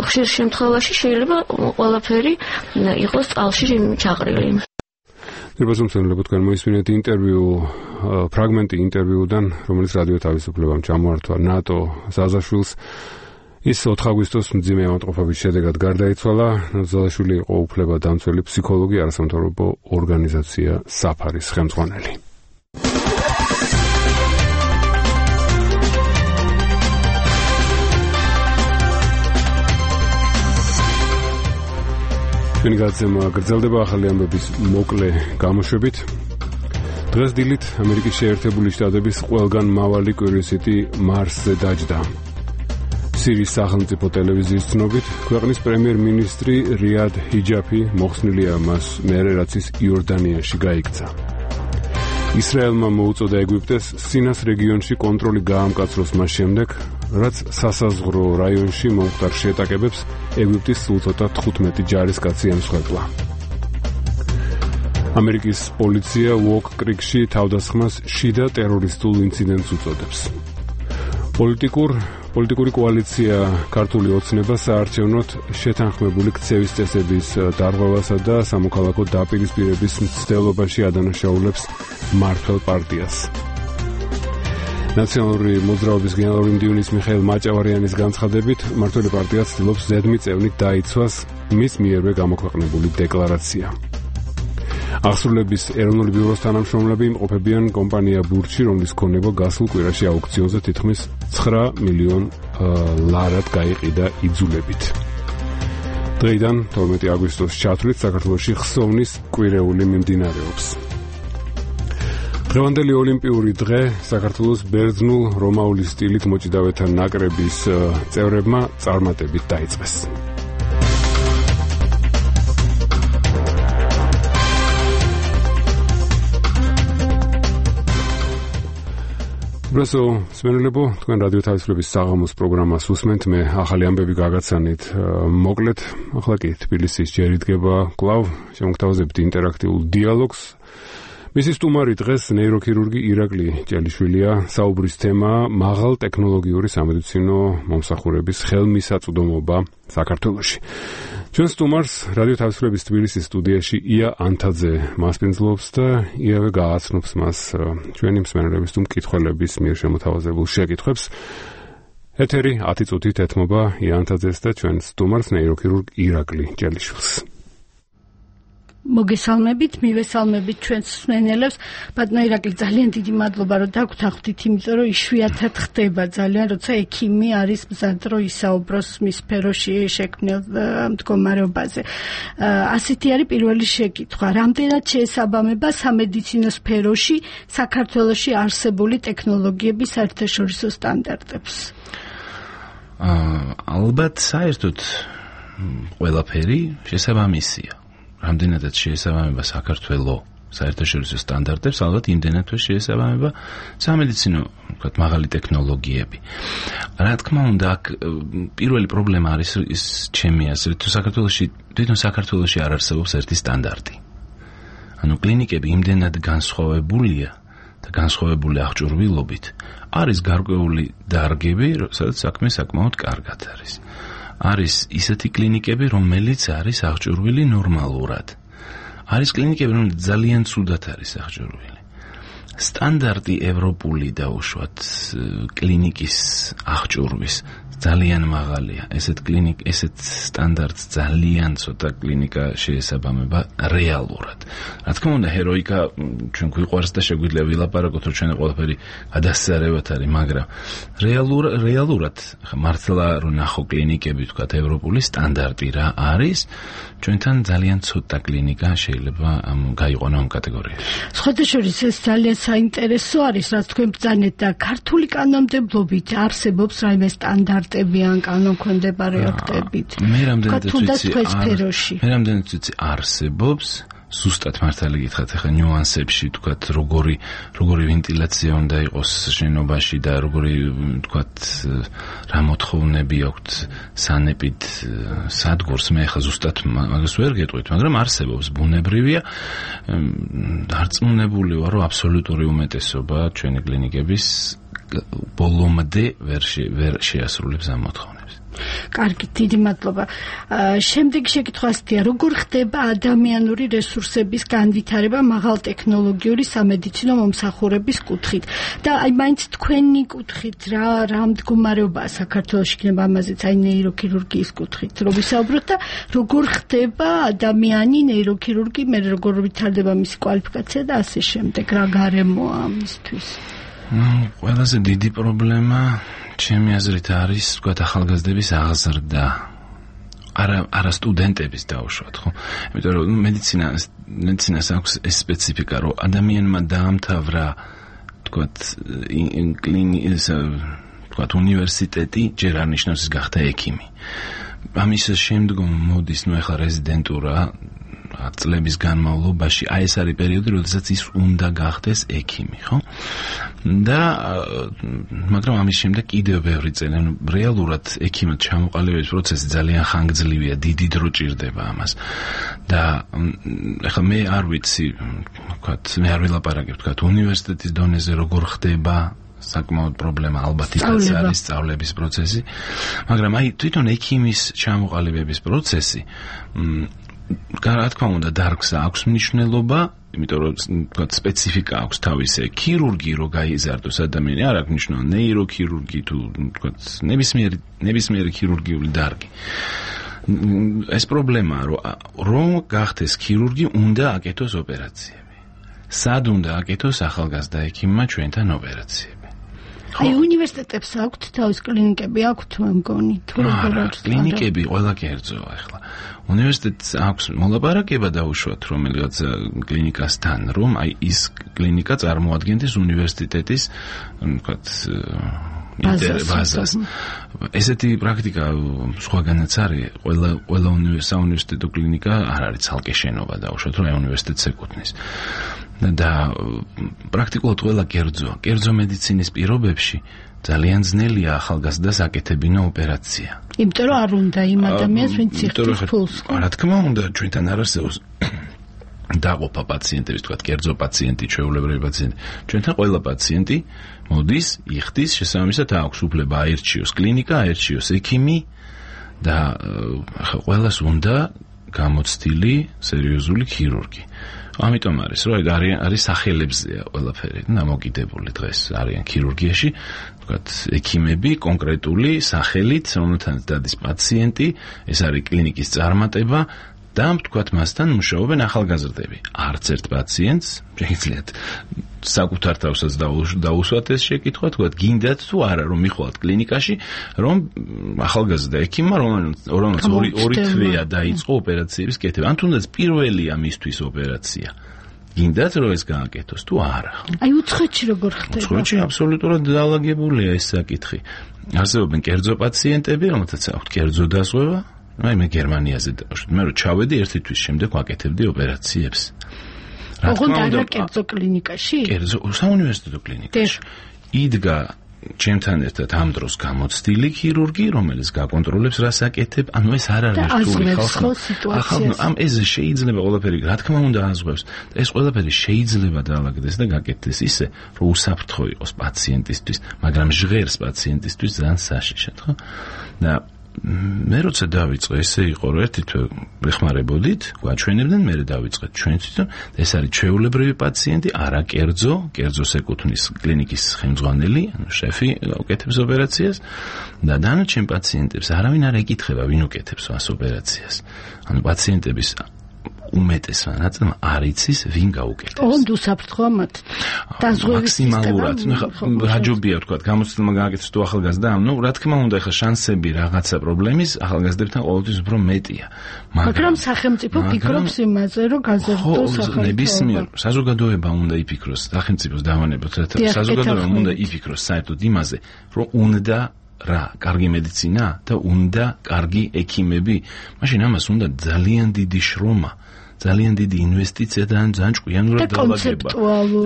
ხშირ შემთხვევაში შეიძლება ყველაფერი იყოს წყალში ჩაყრილი. ნებაზომცემლებო, თქვენ მოისმინეთ ინტერვიუ, ფრაგმენტი ინტერვიუდან, რომელიც რადიო თავისუფლებამ ჩამოართვა ნატო ზაზაშვილს. ის 4 აგვისტოს მძიმე ავადმყოფობის შედეგად გარდაიცვალა. ზაზაშვილი იყო უფლებადამცველი ფსიქოლოგი, არასამთავრობო ორგანიზაცია საფარის ხელმძღვანელი. ჩვენი გადაცემა გრძელდება ახალი ამბების მოკლე გამოშვებით. დღეს დილით ამერიკის შეერთებული შტატების ყველგან მავალი კურიოსიტი მარსზე დაჯდა. სირიის სახელმწიფო ტელევიზიის ცნობით, ქვეყნის პრემიერ-მინისტრი რიად ჰიჯაფი მოხსნილია მას მერე, რაც ის იორდანიაში გაიქცა. ისრაელმა მოუწოდა ეგვიპტეს სინას რეგიონში კონტროლი გაამკაცროს მას შემდეგ, რაც სასაზღვრო რაიონში მომხდარ შეტაკებებს ეგვიპტის სულთოთა 15 ჯარისკაცი ემსხვერპლა. ამერიკის პოლიცია უოკ-კრიკში თავდასხმას შიდა ტერორისტულ ინციდენტს უწოდებს. პოლიტიკური კოალიცია ქართული ოცნება საარჩევნოდ შეთანხმებული ქცევის წესების დარღვევასა და სამოქალაქო დაპირისპირების მცდელობაში ადანაშაულებს მმართველ პარტიას. ნაციონალური მოძრაობის გენერალური მდივნის მიხეილ მაჭავარიანის განცხადებით, მმართველი პარტია ცდილობს ზედმიწევნით დაიცვას მის მიერვე გამოქვეყნებული დეკლარაცია. აღსრულების ეროვნული ბიუროს თანამშრომლები იმყოფებიან კომპანია ბურჯში, რომლის ქონება გასულ კვირაში აუქციონზე თითქმის 9 მილიონ ლარად გაიყიდა იძულებით. დღეიდან 12 აგვისტოს ჩათვლით საქართველოში ხსოვნის კვირეული მიმდინარეობს. დღევანდელი ოლიმპიური დღე საქართველოს ბერძნულ რომაული სტილით მოჭიდავეთა ნაკრების წევრებმა წარმატებით დაიწყეს. უბრალოდ სმენელებო, თქვენ რადიო თავისუფლების საღამოს პროგრამას უსმენთ, მე ახალი ამბები გაგაცანით მოკლედ. ახლა კი თბილისის ჯერ იდგება კვლავ შემოგთავაზებთ ინტერაქტიულ დიალოგს. მისი სტუმარი დღეს ნეიროქირურგი ირაკლი ჭელიშვილია. საუბრის თემაა მაღალ ტექნოლოგიური სამედიცინო მომსახურების ხელმისაწვდომობა საქართველოში. ჩვენ სტუმარს რადიო თავისუფლების თბილისის სტუდიაში ია ანთაძე მასპინძლობს და იავე გააცნობს მას ჩვენი მსმენელების თუ მკითხველების მიერ შემოთავაზებულ შეკითხვებს. ეთერი 10 წუთით ეთმობა ია ანთაძეს და ჩვენ სტუმარს ნეიროქირურგ ირაკლი ჭელიშვილს. მოგესალმებით, მივესალმებით ჩვენს მსმენელებს. ბატონო ირაკლი, ძალიან დიდი მადლობა, რომ დაგვთანხმდით, იმიტომ რომ იშვიათად ხდება ძალიან, როცა ექიმი არის მზად, რომ ისაუბროს მის სფეროში შექმნილ მდგომარეობაზე. ასეთი არის პირველი შეკითხვა. რამდენად შეესაბამება სამედიცინო სფეროში საქართველოში არსებული ტექნოლოგიების საერთაშორისო სტანდარტებს? ალბათ საერთოდ ყველაფერი შესაბამისია. რამდენადაც შეესაბამება საქართველოს საერთაშორისო სტანდარტებს, ალბათ იმდენად შეესაბამება სამედიცინო, ვთქვათ, მაღალი ტექნოლოგიები. რა თქმა უნდა, აქ პირველი პრობლემა არის ის ჩემი აზრით, თვითონ საქართველოში არ არსებობს ერთი სტანდარტი. ანუ კლინიკები იმდენად განსხვავებულია და განსხვავებული აღჭურვილობით, არის გარკვეული დარგები, სადაც საქმე საკმაოდ კარგად არის. არის ისეთი კლინიკები, რომელიც არის აღჭურვილი ნორმალურად. არის კლინიკები, რომელიც ძალიან ცუდად არის აღჭურვილი. სტანდარტი ევროპული და უშუალოდ კლინიკის აღჭურვის ძალიან მაღალია. ესეთ სტანდარტს ძალიან ცოტა კლინიკა შეესაბამება რეალურად. რა თქმა უნდა, ჰეროიკა ჩვენ გვიყვარს და შეგვიძლია ვილაპარაკოთ, რომ ჩვენ ყველაფერი გადასწარებად არის, მაგრამ რეალურად მართლა რომ ნახო კლინიკები, თქვათ, ევროპული სტანდარტი რა არის, ჩვენთან ძალიან ცოტა კლინიკა შეიძლება გაიყვანო ამ კატეგორიაში. სხვადასხვა ეს ძალიან საინტერესო არის, რაც თქვენ ბრძანეთ და ქართული კანონმდებლობით არსებობს რაიმე სტანდარტები ან კანონქვემდებარე აქტებით. მე რამდენად ვიცი არსებობს. ზუსტად მართალი გითხრათ, ახლა ნიუანსებში, თქვათ, როგორი ვენტილაცია უნდა იყოს შენობაში და როგორი, თქვათ, რა მოთხოვნები აქვთ სანეპიდ სადგურს, მე ახლა ზუსტად მაგას ვერ გეტყვით, მაგრამ არსებობს, ბუნებრივია. დარწმუნებული ვარ, რომ აბსოლუტური უმეტესობა ჩვენი კლინიკების ბოლომდე ვერ შეასრულებს ამ მოთხოვნებს. კარგი, დიდი მადლობა. შემდეგი შეკითხვა ასეთია, როგორ ხდება ადამიანური რესურსების განვითარება მაღალ ტექნოლოგიური სამედიცინო მომსახურების კუთხით? და აი მაინც თქვენი კუთხით რა მდგომარეობაა საქართველოში იქნება ამაზეც, აი ნეიროქირურგიის კუთხით რომ ვისაუბროთ და როგორ ხდება ადამიანი ნეიროქირურგი, მე როგორ ვითარდება მისი კვალიფიკაცია და ასე შემდეგ, რა გარემოა ამისთვის? ყველაზე დიდი პრობლემა ჩემი აზრით არის, ვთქვათ, ახალგაზრდების აღზრდა. არა სტუდენტების დაუშვათ, ხო? იმიტომ რომ მედიცინას აქვს ეს სპეციფიკა, რომ ადამიანმა დაამთავრა, ვთქვათ, უნივერსიტეტი, ჯერ არ ნიშნავს ის გახდა ექიმი. ამის შემდგომ მოდის, ახლა რეზიდენტურა წლების განმავლობაში, აი ეს არის პერიოდი, როდესაც ის უნდა გახდეს ექიმი, ხო? და მაგრამ ამის შემდეგ კიდევ ბევრი წელი, რეალურად ექიმად ჩამოყალიბების პროცესი ძალიან ხანგრძლივია, დიდი დრო ჭირდება ამას. და ახლა მე არ ვიცი, ვთქვათ, მე არ ვილაპარაკებ, ვთქვათ, უნივერსიტეტის დონეზე როგორ ხდება საკმაოდ პრობლემა ალბათ ის არის სწავლების პროცესი, მაგრამ აი თვითონ ექიმის ჩამოყალიბების პროცესი რა თქმა უნდა დარგს აქვს მნიშვნელობა, იმიტომ რომ თქვათ სპეციფიკა აქვს თავისი. ქირურგი რო გაიზარდოს ადამიანი, არ აქვს მნიშვნელობა ნეიროქირურგი თუ თქვათ ნებისმიერი ქირურგიული დარგი. ეს პრობლემაა, რომ გახდეს ქირურგი, უნდა აკეთოს ოპერაციები. სად უნდა აკეთოს ახალგაზრდა ექიმმა ჩვენთან ოპერაციები? აი უნივერსიტეტებს აქვთ თავის კლინიკები, აქვთ მე მგონი, თუ როგორ არის? კლინიკები ყველა კერძოა ახლა. უნივერსიტეტს აქვს მოლაპარაკება დაუშვათ რომელიღაც კლინიკასთან, რომ აი ის კლინიკა წარმოადგენდეს უნივერსიტეტის, ვთქვათ, ბაზას. ესეთი პრაქტიკა სხვაგანაც არის, ყველა საუნივერსიტეტო კლინიკა არ არის ცალკე შენობა დაუშვათ, რომ აი უნივერსიტეტს ეკუთვნის. და პრაქტიკულად ყველა კერძო მედიცინის პირობებში ძალიან ძნელია ახალგაზრდას აკეთებინა ოპერაცია. იმიტომ რომ არ უნდა იმ ადამიანს, ვინც იხდის ფულს. რა თქმა უნდა, ჩვენთან არ არსებობს დაყოფა პაციენტების, თქვა კერძო პაციენტი, ჩვეულებრივი პაციენტი. ჩვენთან ყველა პაციენტი მოდის, იხდის, შესაბამისად აქვს უფლება აერჩიოს კლინიკა, აერჩიოს ექიმი და ყველას უნდა გამოცდილი სერიოზული ქირურგი. ამიტომ არის, რომ არის სახელებზეა ყველაფერი, დამოკიდებული დღეს არიან ქირურგიაში, ვთქვათ, ექიმები კონკრეტული სახელით, რომელთანაც დადის პაციენტი, ეს არის კლინიკის წარმატება და ვთქვათ, მასთან მუშაობენ ახალგაზრდები. არც ერთ პაციენტს შეგიძლიათ საკუთარ თავსაც დაუსვათ ეს შეკითხვა, ვთქვათ, გინდათ თუ არა, რომ მიხვალთ კლინიკაში, რომ ახალგაზრდა ექიმმა, რომელმაც ორი თვეა დაიწყო ოპერაციების კეთება, ან თუნდაც პირველია მისთვის ოპერაცია. გინდათ რომ ეს გააკეთოს თუ არა? აი უცხოეთში როგორ ხდება? უცხოეთში აბსოლუტურად დაალაგებულია ეს საკითხი. არსებობენ კერძო პაციენტები, რომელთაც აქვთ კერძო დაზღვევა. აი მე გერმანიაზე დავშვით, მე რომ ჩავედი ერთი თვის შემდეგ ვაკეთებდი ოპერაციებს. ოღონდ არა კერძო კლინიკაში? კერძო საუნივერსიტეტო კლინიკაში. იდგა ჩემთან ერთად ამ დროს გამოცდილი ქირურგი, რომელიც გაკონტროლებს რას აკეთებ, ანუ ეს არ არის რთული ხალხი. ამ ეს შეიძლება ყველაფერი, რა თქმა უნდა, აზღვევს. ეს ყველაფერი შეიძლება დაალაგდეს და გაკეთდეს ისე, რომ უსაფრთხო იყოს პაციენტისთვის, მაგრამ ჟღერს პაციენტისთვის ძალიან საშიშად, ხო? და მე როცა დავიწყე, ესე იყო, რომ ერთი თვე ვეხმარებოდით, გვაჩვენებდნენ, მე დავიწყეთ ჩვენთვის, ეს არის ჩვეულებრივი პაციენტი, არა კერძოს ეკუთვნის კლინიკის ხელმძღვანელი, ანუ შეფი უკეთებს ოპერაციას და დანარჩენ პაციენტებს არავინ არ ეკითხება, ვინ უკეთებს ამ ოპერაციას. ანუ პაციენტების უმეტესმა ნაწილმა არ იცის ვინ გაუკეთებს. ოღონდ უსაფრთხოა მათ. მაქსიმალურად, რაჯობია ვთქვათ, გამოცდილმა გააკეთოს თუ ახალგაზრდა, ანუ რა თქმა უნდა, ახლა შანსები რაღაცა პრობლემის ახალგაზრდებთან ყოველთვის უფრო მეტია. მაგრამ სახელმწიფო ფიქრობს იმაზე, რომ გაზრდოს ახალგაზრდა. ნებისმიერ საზოგადოება უნდა იფიქროს, სახელმწიფოს დავანებოთ, რათა საზოგადოება უნდა იფიქროს საერთოდ იმაზე, რომ უნდა რა, კარგი მედიცინა და უნდა კარგი ექიმები. მაშინ ამას უნდა ძალიან დიდი შრომა, ძალიან დიდი ინვესტიცია და ძალიან ჭკვიანურად დაალაგება.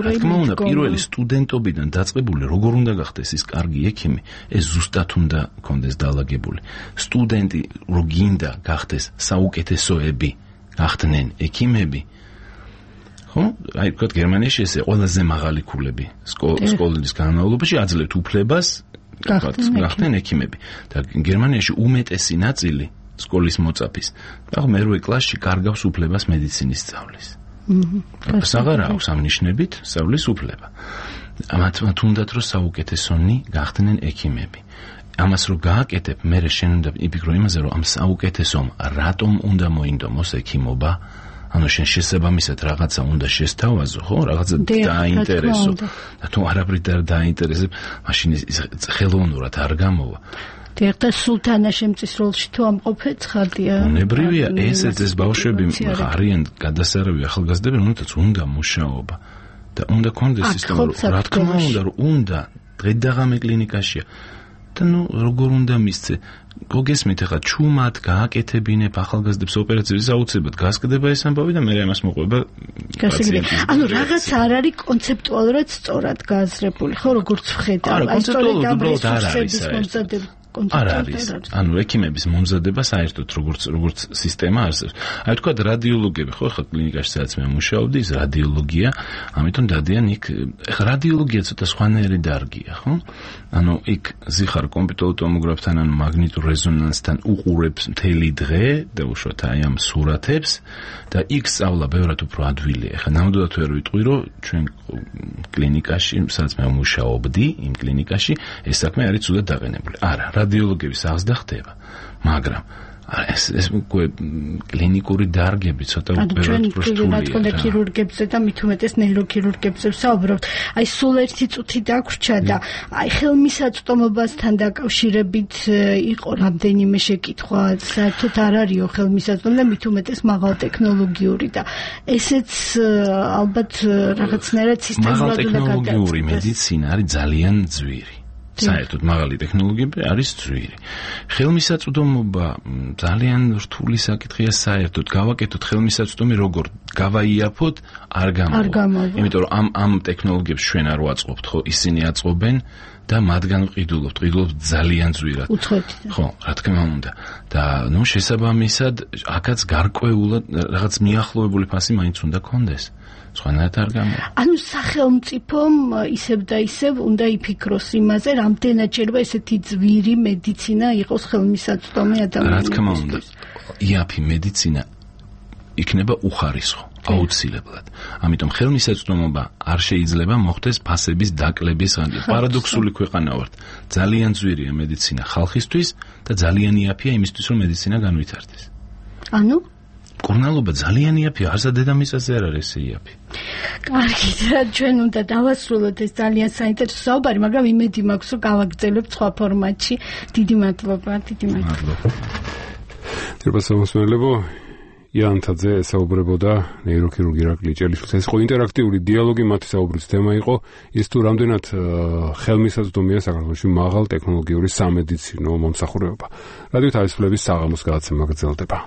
რა თქმა უნდა, პირველი სტუდენტობიდან დაწყებული როგორ უნდა გახდეს ის კარგი ექიმი, ეს ზუსტად უნდა კონდეს დაალაგებული. სტუდენტი რო გინდა გახდეს საუკეთესოები, გახდნენ ექიმები. ხო? აი, ვთქვათ, გერმანიაში ესე ყველაზე მაღალი ქულები სკოლის განმავლობაში აძლევთ უფლებას გახდნენ ექიმები. და გერმანიაში უმეტესი ნაწილი სკოლის მოწაფის მე-8 კლასში კარგავს უფლებას მედიცინის სწავლის. აღარ აქვს ამ ნიშნებით სწავლის უფლება. მათ უნდათ რომ საუკეთესონი გახდნენ ექიმები. ამას რო გააკეთებ, მე შენ უნდა იფიქრო იმაზე, რომ ამ საუკეთესომ რატომ უნდა მოინდომოს ექიმობა? ანუ შენ შესაბამისად რაღაცა უნდა შესთავაზო, ხო? რაღაცა დაინტერესო. და თუ არაფრით არ დაინტერესებ, მაშინ ხელოვნურად არ გამოვა. და სულთანა შემწისროლში თუ ამყოფე ცხადია. უნებრივია, ეს ბავშვები არიან გადასარავი ახალგაზრდები, რომელთაც უნდა მუშაობა და უნდა კონდეს სისტემა, რა თქმა უნდა, რომ უნდა დღე-დაღამე კლინიკაშია. და როგორ უნდა მისცე? გოგესმით ახლა ჩუმად გააკეთებინებ ახალგაზრდებს ოპერაციებს, აუცილებლად გასკდება ეს ამბავი და მე ამას მოყვება პაციენტი. ანუ რაღაც არ არის კონცეპტუალურად სწორად გააზრებული, ხო, როგორც ვხედავ, აი სწორედ ამ რესურსების მომზადება. არ არის. ანუ ექიმების მომზადება საერთოდ როგორც სისტემა არსებობს. აი თქვა რადიოლოგები, ხო, ხა კლინიკაში სადაც მე მუშაობდი, ის რადიოლოგია, ამიტომ დადიან იქ. ხა რადიოლოგია ცოტა სხვანაირი დარგია, ხო? ანუ იქ ზიხარ კომპიუტერულ ტომოგრაფთან, ანუ მაგნიტურ რეზონანსთან უყურებს მთელი დღე და უშუალოდ აი ამ სურათებს და იქ სწავლა ბევრად უფრო ადვილია. ხა ნამდვილად ვერ ვიტყვი, რომ ჩვენ კლინიკაში, სადაც მე მუშაობდი, იმ კლინიკაში ეს საქმე არის ცუდად დაყენებული. არა, რადიოლოგების აღზრდა ხდება. მაგრამ ეს კლინიკური დარგები ცოტა უბრალოდ პროსტულია. რა თქმა უნდა ქირურგებზე და მით უმეტეს ნეიროქირურგებზე საუბრობთ. აი სულ ერთი წუთი დაგვრჩა და აი ხელმისაწვდომობასთან დაკავშირებით იყო რამდენიმე შეკითხვა, საერთოდ არ არისო ხელმისაწვდომი და მით უმეტეს მაღალ ტექნოლოგიური და ესეც ალბათ რაღაცნაირად სისტემურად უნდა გადაწყდეს. მაღალ ტექნოლოგიური მედიცინა არის ძალიან ძვირი. საერთოდ მაღალი ტექნოლოგიები არის ძვირი. ხელმისაწვდომობა ძალიან რთული საკითხია საერთოდ. გავაკეთოთ ხელმისაწვდომი როგორ გავაიაფოთ არ გამოვა. იმიტომ რომ ამ ტექნოლოგიებს ჩვენ არ ვაწყობთ, ხო, ისინი აწყობენ და მათგან ვყიდულობთ ძალიან ძვირად. ხო, რა თქმა უნდა. და ნუ შესაბამისად, აქაც გარკვეულად რაღაც მიახლოებული ფასი მაინც უნდა კონდეს. სხვანაირად არ გამოვა. ანუ სახელმწიფომ ისევ და ისევ უნდა იფიქროს იმაზე, რამდენად შეიძლება ესეთი ძვირი მედიცინა იყოს ხელმისაწვდომი ადამიანებისთვის. რა თქმა უნდა, იაფი მედიცინა იქნება უხარისხო, აუცილებლად. ამიტომ ხელმისაწვდომობა არ შეიძლება მოხდეს ფასების დაკლების ღანჯით. პარადოქსული ქვეყანა ვართ. ძალიან ძვირია მედიცინა ხალხისთვის და ძალიან იაფია იმისთვის, რომ მედიცინა განვითარდეს. ანუ კურნალობა ძალიან იაფია, არც დედამიწაზე არ არის იაფი. კარგი, ჩვენ უნდა დავასრულოთ ეს ძალიან საინტერესო საუბარი, მაგრამ იმედი მაქვს, რომ გავაგრძელებთ სხვა ფორმატში. დიდი მადლობა, დიდი მადლობა. თერაპევტებო იანთაძე საუბრებოდა ნეიროქირურგი ირაკლი ჭელიშვილი. ეს იყო ინტერაქტიული დიალოგი, მათი საუბრის თემა იყო ის თუ რამდენად ხელმისაწვდომია საქართველოში მაღალ ტექნოლოგიური სამედიცინო მომსახურება. რადიო თავისუფლების საღამოს გადაცემა გრძელდება.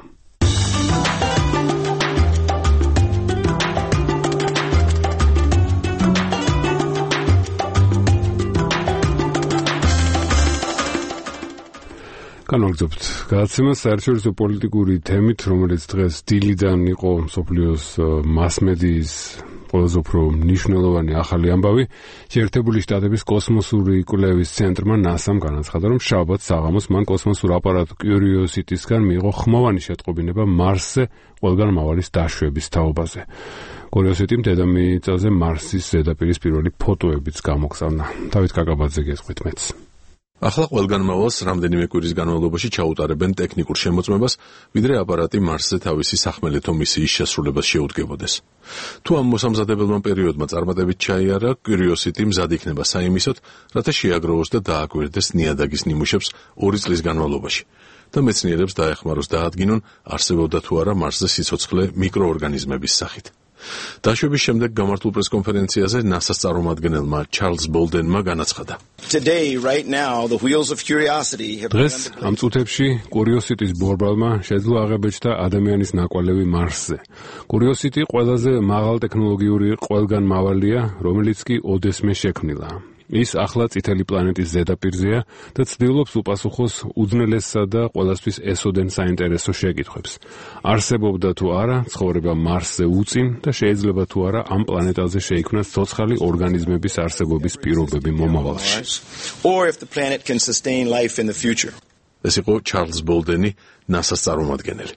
განვაგრძობთ გადაცემას საერთაშორისო პოლიტიკური თემით, რომელიც დღეს დილიდან იყო მსოფლიოს მასმედიის ყველაზე უფრო მნიშვნელოვანი ახალი ამბავი. შეერთებული შტატების კოსმოსური კვლევის ცენტრმა NASA-მ განაცხადა, რომ შაბათს საღამოს მან კოსმოსურ აპარატ Curiosity-სგან მიიღო ხმოვანი შეტყობინება მარსზე ყველგან მავალის დაშვების თაობაზე. Curiosity-მ დედამიწაზე მარსის ზედაპირის პირველი ფოტოებიც გამოგზავნა. დავით კაკაბაძე გესყვით მეც. ახლა ყველგან მავალს რამდენიმე კვირის განმავლობაში ჩაუტარებენ ტექნიკურ შემოწმებას, ვიდრე აპარატი მარსზე თავისი სახმელეთო მისიის შესრულებას შეუდგებოდეს. თუ ამ მოსამზადებელმა პერიოდმა წარმატებით ჩაიარა, Curiosity მზად იქნება საიმისოდ, რათა შეაგროვოს და დააკვირდეს ნიადაგის ნიმუშებს 2 წლის განმავლობაში. და მეცნიერებს დაეხმაროს დაადგინონ, არსებობდა თუ არა მარსზე სიცოცხლე მიკროორგანიზმების სახით. დაშვების შემდეგ გამართულ პრესკონფერენციაზე NASA-ს წარმომადგენელმა ჩარლზ ბოლდენმა განაცხადა. დღეს ამ წუთებში Curiosity-ს ბორბალმა შეძლო აღებეჭდა ადამიანის ნაკვალევი მარსზე. Curiosity ყველაზე მაღალ ტექნოლოგიური ყველგან მავალია, რომელიც კი ოდესმე შექმნილა. ის ახლა წითელი პლანეტის ზედაპირზეა და ცდილობს უპასუხოს უძნელესსა და ყველასთვის ესოდენ საინტერესო შეკითხვებს. არსებობდა თუ არა ცხოვრება მარსზე უწინ და შეიძლება თუ არა ამ პლანეტაზე შეიქმნას ცოცხალი ორგანიზმების არსებობის პირობები მომავალში. ეს იყო ჩარლზ ბოლდენი, NASA-ს წარმომადგენელი.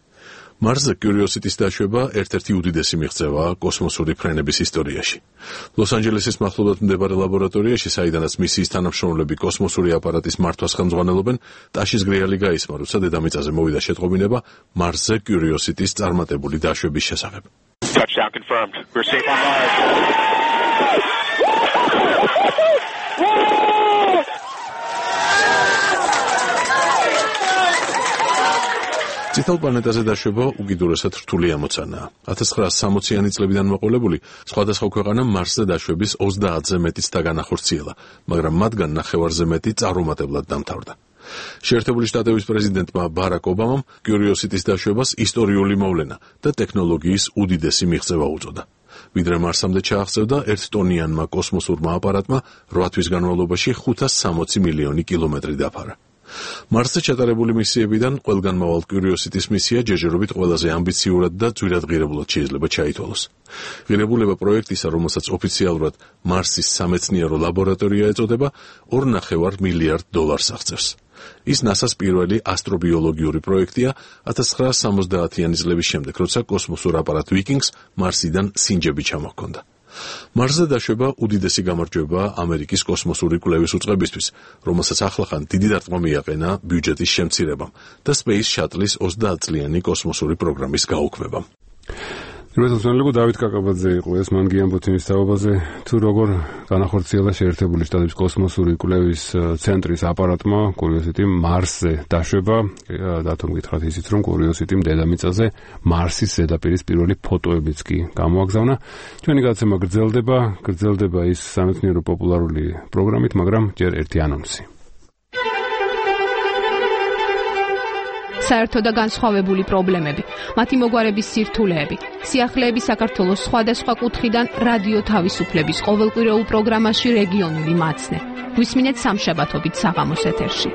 მარსზე Curiosity-ს დაშვება ერთ-ერთი უდიდესი მიღწევაა კოსმოსური ფრენების ისტორიაში. ლოს-ანჯელესის მახლობლად მდებარე ლაბორატორიაში, საიდანაც მისიის თანამშრომლები კოსმოსური აპარატის მართვას ხელმძღვანელობენ, ტაშის გრიალი გაისმა, როცა დედამიწაზე მოვიდა შეტყობინება მარსზე Curiosity-ს წარმატებული დაშვების შესახებ. Touchdown confirmed. We're safe on Mars. წითელ პლანეტაზე დაშვება უკიდურესად რთული ამოცანაა. 1960-იანი წლებიდან მოყოლებული სხვადასხვა ქვეყანამ მარსზე დაშვების 30-ზე მეტიც დაგანახორციელა, მაგრამ მათგან ნახევარზე მეტი წარუმატებლად დამთავრდა. შეერთებული შტატების პრეზიდენტმა ბარაკ ობამამ Curiosity-ს დაშვებას ისტორიული მოვლენა და ტექნოლოგიის უდიდესი მიღწევა უწოდა. ვიდრე მარსამდე ჩააღწევდა 1 ტონიანმა კოსმოსურმა აპარატმა 8 თვის განმავლობაში 560 მილიონი კილომეტრი დაფარა. მარსზე ჩატარებული მისიებიდან ყველგან მავალ Curiosity-ს მისია ჯერჯერობით ყველაზე ამბიციურად და ძვირადღირებულად შეიძლება ჩაითვალოს. ღირებულება პროექტისა, რომელსაც ოფიციალურად მარსის სამეცნიერო ლაბორატორია ეწოდება, $2.5 მილიარდ აღწევს. ის NASA-ს პირველი ასტრობიოლოგიური პროექტია 1970-იანი წლების შემდეგ, როცა კოსმოსურ აპარატ Vikings მარსიდან სინჯები ჩამოჰქონდა. მარსზე დაშვება უდიდესი გამარჯვება ამერიკის კოსმოსური კვლევის უწყებისთვის, რომელსაც ახლახან დიდი დარტყმა მიაყენა ბიუჯეტის შემცირებამ და Space Shuttle-ის 30 წლიანი კოსმოსური პროგრამის გაუქმებამ. რეზოლუციონები დავით კაკაბაძე იყო ეს მან გიამბოთ იმის თაობაზე თუ როგორ განახორციელა შეერთებული შტატების კოსმოსური კვლევის ცენტრის აპარატმა კურიოზიტიმ მარსზე დაშვება დათომ გითხრათ ისიც რომ კურიოზიტიმ დედამიწაზე მარსის ზედაპირის პირველი ფოტოებიც კი გამოაგზავნა ჩვენი გადაცემა გრძელდება ის სამეცნიერო პოპულარული პროგრამით მაგრამ ჯერ ერთი ანონსი საერთო და განსხვავებული პრობლემები, მათი მოგვარების სირთულეები, სიახლეები საქართველოს სხვადასხვა კუთხიდან რადიო თავისუფლების ყოველკვირეულ პროგრამაში რეგიონული მაცნე. გვისმინეთ სამშაბათობით საღამოს ეთერში.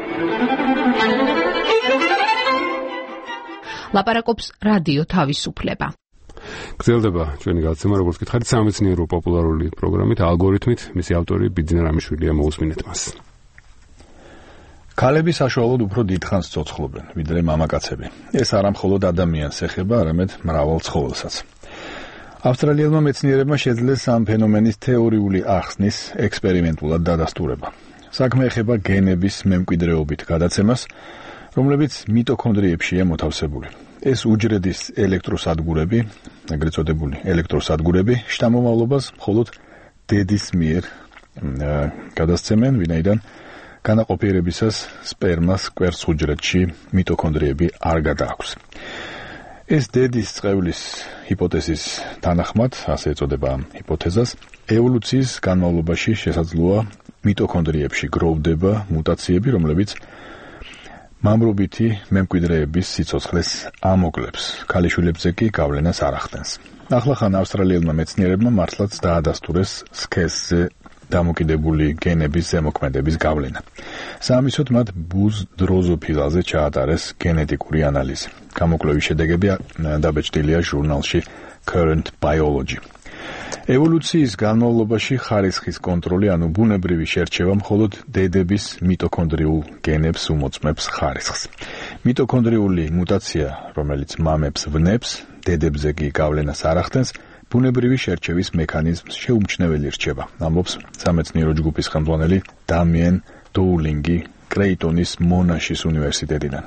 ლაპარაკობს რადიო თავისუფლება. გრძელდება ჩვენი გადაცემა, როგორც გითხარით, სამეცნიერო პოპულარული პროგრამით, ალგორითმით, მისი ავტორი ბიძინა რამიშვილია, მოусმინეთ მას. ქალები საშუალოდ უფრო დიდხანს ცოცხლობენ, ვიდრე მამაკაცები. ეს არა მხოლოდ ადამიანს ეხება, არამედ მრავალ ცხოველსაც. ავსტრალიელმა მეცნიერებმა შეძლეს ამ ფენომენის თეორიული ახსნის ექსპერიმენტულად დადასტურება. საქმე ეხება გენების მემკვიდრეობით გადაცემას, რომლებიც მიტოქონდრიებშია მოთავსებული. ეს უჯრედის ელექტროსადგურები, ეგრეთ წოდებული ელექტროსადგურები, შთამომავლობას მხოლოდ დედის მიერ გადასცემენ, ვინაიდან განაყოფიერებისას სპერმას კვერცხ უჯრედში მიტოქონდრიები არ გადააქვს. ეს დედის წყევლის ჰიპოთეზის თანახმად, ასე ეწოდება ამ ჰიპოთეზას, ევოლუციის განმავლობაში შესაძლოა მიტოქონდრიებში გროვდება მუტაციები, რომლებიც მამრობითი მემკვიდრეების სიცოცხლეს ამოკლებს, ქალიშვილებზე კი გავლენას არ ახდენს. ახლახან ავსტრალიელმა მეცნიერებმა მართლაც დაადასტურეს სქესზე დამოკიდებული გენების ზემოქმედების გავლენა. საამისოდ მათ ბუზ დროზოფილაზე ჩაატარეს გენეტიკური ანალიზი. გამოკვლევის შედეგები დაბეჭდილია ჟურნალში Current Biology. ევოლუციის განმავლობაში ხარისხის კონტროლი, ანუ ბუნებრივი შერჩევა მხოლოდ დედების მიტოქონდრიულ გენებს უმოწმებს ხარისხს. მიტოქონდრიული მუტაცია, რომელიც მამებს ვნებს, დედებზე კი გავლენას არ ახდენს, ბუნებრივი შერჩევის მექანიზმს შეუმჩნეველი რჩება, ამბობს სამეცნიერო ჯგუფის ხელმძღვანელი დამიენ დოულინგი კრეიტონის მონაშის უნივერსიტეტიდან.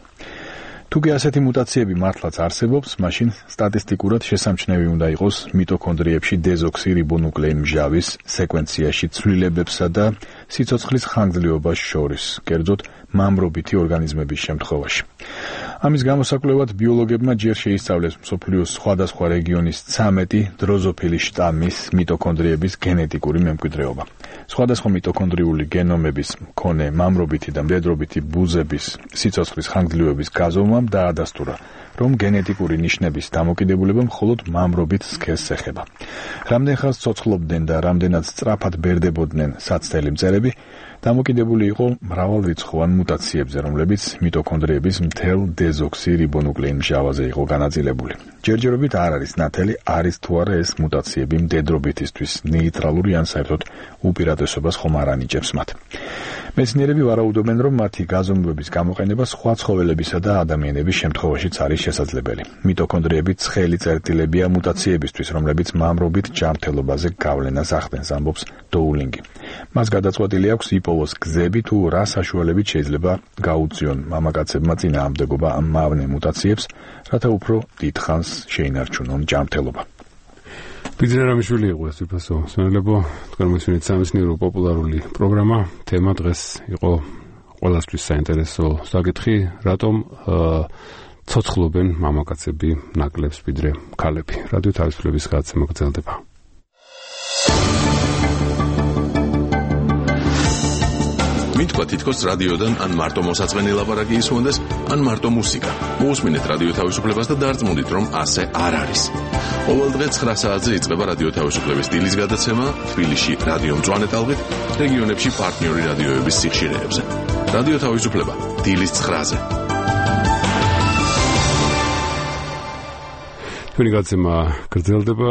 თუკი ასეთი მუტაციები მართლაც არსებობს, მაშინ სტატისტიკურად შესამჩნევი უნდა იყოს მიტოქონდრიებში დეზოქსირიბონუკლეინ მჟავის სეკვენციაში ცვლილებებსა და სიცოცხლის ხანგრძლივობას შორის, კერძოდ მამრობითი ორგანიზმების შემთხვევაში. ამის გამოსაკვლევად ბიოლოგებმა ჯერ შეისწავლეს მსოფლიოს სხვადასხვა რეგიონის 13 დროზოფილის შტამის მიტოქონდრიების გენეტიკური მემკვიდრეობა. სხვადასხვა მიტოქონდრიული გენომების მქონე მამრობითი და მდედრობითი ბუზების სიცოცხლის ხანგრძლივობის გაზომვამ დაადასტურა, რომ გენეტიკური ნიშნების დამოკიდებულება მხოლოდ მამრობით სქესს ეხება. რამდენ ხანს ცოცხლობდნენ და რამდენად სწრაფად ბერდებოდნენ საცდელი მწერები, დამოკიდებული იყო მრავალრიცხოვან მუტაციებზე, რომლებიც მიტოქონდრიების მთელ დეზოქსირიბონუკლეინ მჟავაზე იყო განაწილებული. ჯერჯერობით არ არის ნათელი, არის თუ არა ეს მუტაციები მდედრობითისთვის ნეიტრალური ან საერთოდ უპირატესობას ხომ არ ანიჭებს მათ. მეცნიერები ვარაუდობენ, რომ მათი გაზომვების გამოყენება სხვა ცხოველებისა და ადამიანების შემთხვევაშიც არის შესაძლებელი. მიტოქონდრიები ცხელი წერტილებია მუტაციებისთვის, რომლებიც მამრობით ჯანმრთელობაზე გავლენას ახდენს, ამბობს დოულინგი. მას გადაწყვეტილი აქვს იპოვოს გზები თუ რა საშუალებით შეიძლება გაუწიონ მამაკაცებმა წინააღმდეგობა ამ მავნე მუტაციებს, რათა უფრო დიდხანს შეინარჩუნონ ჯანმრთელობა. ბიძინა რამიშვილი იყო ეს უფასო სვენელებო, თქვენ მოსვენით სამეცნიერო პოპულარული პროგრამა, თემა დღეს იყო ყველასთვის საინტერესო საკითხი, რატომ ცოცხლობენ მამაკაცები ნაკლებს ვიდრე ქალები. რადიო თავისუფლების გადაცემა გრძელდება. მითქვა თითქოს რადიოდან ან მარტო მოსაწყენი ლაპარაკი ისმონდეს, ან მარტო მუსიკა. მოусმინეთ რადიო თავისუფლებას და დარწმუნდით, რომ ასე არ არის. ყოველ დღე 9 საათზე იწყება რადიო თავისუფლების დილის გადაცემა, თბილისში რადიო მწვანე ტალღით, რეგიონებში პარტნიორი რადიოების სიხშირეებზე. რადიო თავისუფლება დილის 9-ზე. ჩვენი გადაცემა გრძელდება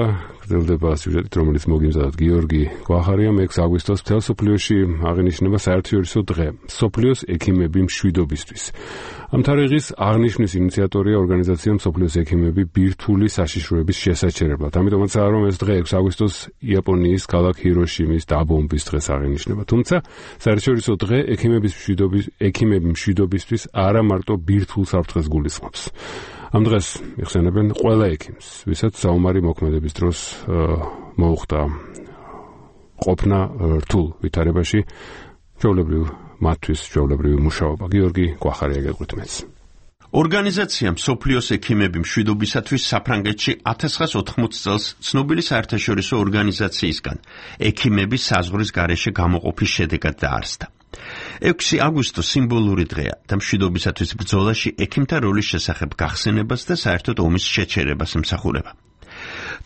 გრძელდება სიუჟეტით, რომელიც მოგიმზადოთ გიორგი კვახარიამ. 6 აგვისტოს მთელ სოფლიოში აღინიშნება საერთაშორისო დღე მსოფლიოს ექიმები მშვიდობისთვის. ამ თარიღის აღნიშვნის ინიციატორია ორგანიზაცია მსოფლიოს ექიმები ბირთვული საშიშროების შესაჩერებლად. ამიტომაცაა, რომ ეს დღე 6 აგვისტოს იაპონიის ქალაქ ჰიროშიმის დაბომბვის დღეს აღინიშნება. თუმცა საერთაშორისო დღე ექიმების მშვიდობისთვის არა მარტო ბირთვულ საფრთხეს გულისხმობს. ამ დღეს იხსენებენ ყველა ექიმს, ვისაც საომარი მოქმედების დროს მოუხდა ყოფნა რთულ ვითარებაში, ჩვეულებრივ მათთვის ჩვეულებრივი მუშაობა. გიორგი კვახარია გეტყვით მეც. ორგანიზაცია მსოფლიოს ექიმები მშვიდობისათვის საფრანგეთში 1980 წელს ცნობილი საერთაშორისო ორგანიზაციისგან ექიმების საზღვრის გარეშე გამოყოფის შედეგად დაარსდა. 6 აგვისტო სიმბოლური დღეა და მშვიდობისათვის ბრძოლაში ექიმთა როლის შესახებ გახსენებას და საერთოდ ომის შეჩერებას ემსახურება.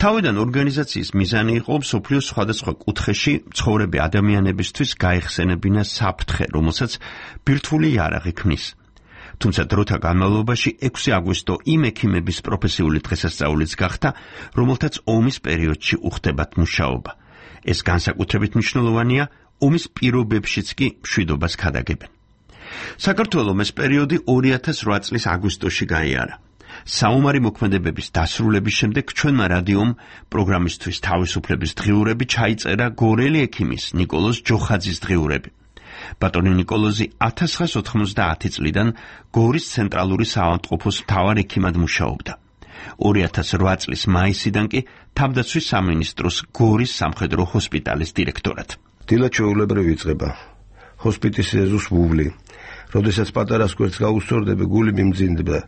თავიდან ორგანიზაციის მიზანი იყო მსოფლიოს სხვადასხვა კუთხეში მცხოვრები ადამიანებისთვის გაიხსენებინა საფრთხე, რომელსაც ბირთვული იარაღი ქმნის. თუმცა დროთა განმავლობაში 6 აგვისტო იმ ექიმების პროფესიული დღესასწაულიც გახდა, რომელთაც ომის პერიოდში უხდებათ მუშაობა. ეს განსაკუთრებით მნიშვნელოვანია ომის პირობებშიც კი მშვიდობას ქადაგებენ. საქართველოს ეს პერიოდი 2008 წლის აგვისტოში გაიარა. საომარი მოქმედებების დასრულების შემდეგ ჩვენმა რადიომ პროგრამისთვის თავისუფლების დღიურები ჩაიწერა გორელი ექიმის ნიკოლოზ ჯოხაძის დღიურები. ბატონი ნიკოლოზი 1990 წლიდან გორის ცენტრალური საავადმყოფოს მთავარ ექიმად მუშაობდა. 2008 წლის მაისიდან კი თავდაცვის სამინისტროს გორის სამხედრო ჰოსპიტალის დირექტორად. დილა ჩვეულებრივ იწყება. ჰოსპიტალის ეზოს ვუვლი. როდესაც პატარას გვერდს გაუსწორდები, გული მიმძინდება.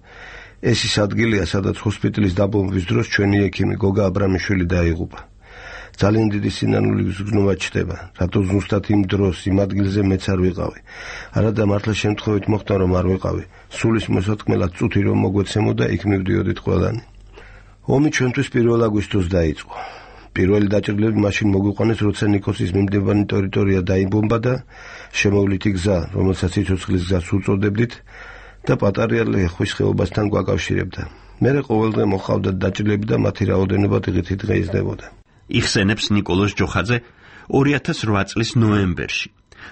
ეს ის ადგილია, სადაც ჰოსპიტალის დაბომბვის დროს ჩვენი ექიმი გოგა აბრამიშვილი დაიღუპა. ძალიან დიდი სინანული გზნობა ჩდება, რატო ზუსტად იმ დროს იმ ადგილზე მეც არ ვიყავი. არადა მართლა შემთხვევით მოხდა რომ არ ვიყავი. სულის მოსათქმელად წუთი რომ მოგვეცემოდა, იქ მივდიოდით ყველანი. ომი ჩვენთვის 1 აგვისტოს დაიწყო. პირველი დაჭრილები მაშინ მოგვიყვანეს, როცა ნიკოსის მიმდებარე ტერიტორია დაიბომბა და შემოვლითი გზა, რომელსაც სიცოცხლის გზას უწოდებდით და პატარა ლეხვის ხეობასთან გვაკავშირებდა. მერე ყოველდღე მოხავდა დაჭრილები და მათი რაოდენობა დღითიდღე იზრდებოდა. იხსენებს ნიკოლოზ ჯოხაძე 2008 წლის ნოემბერში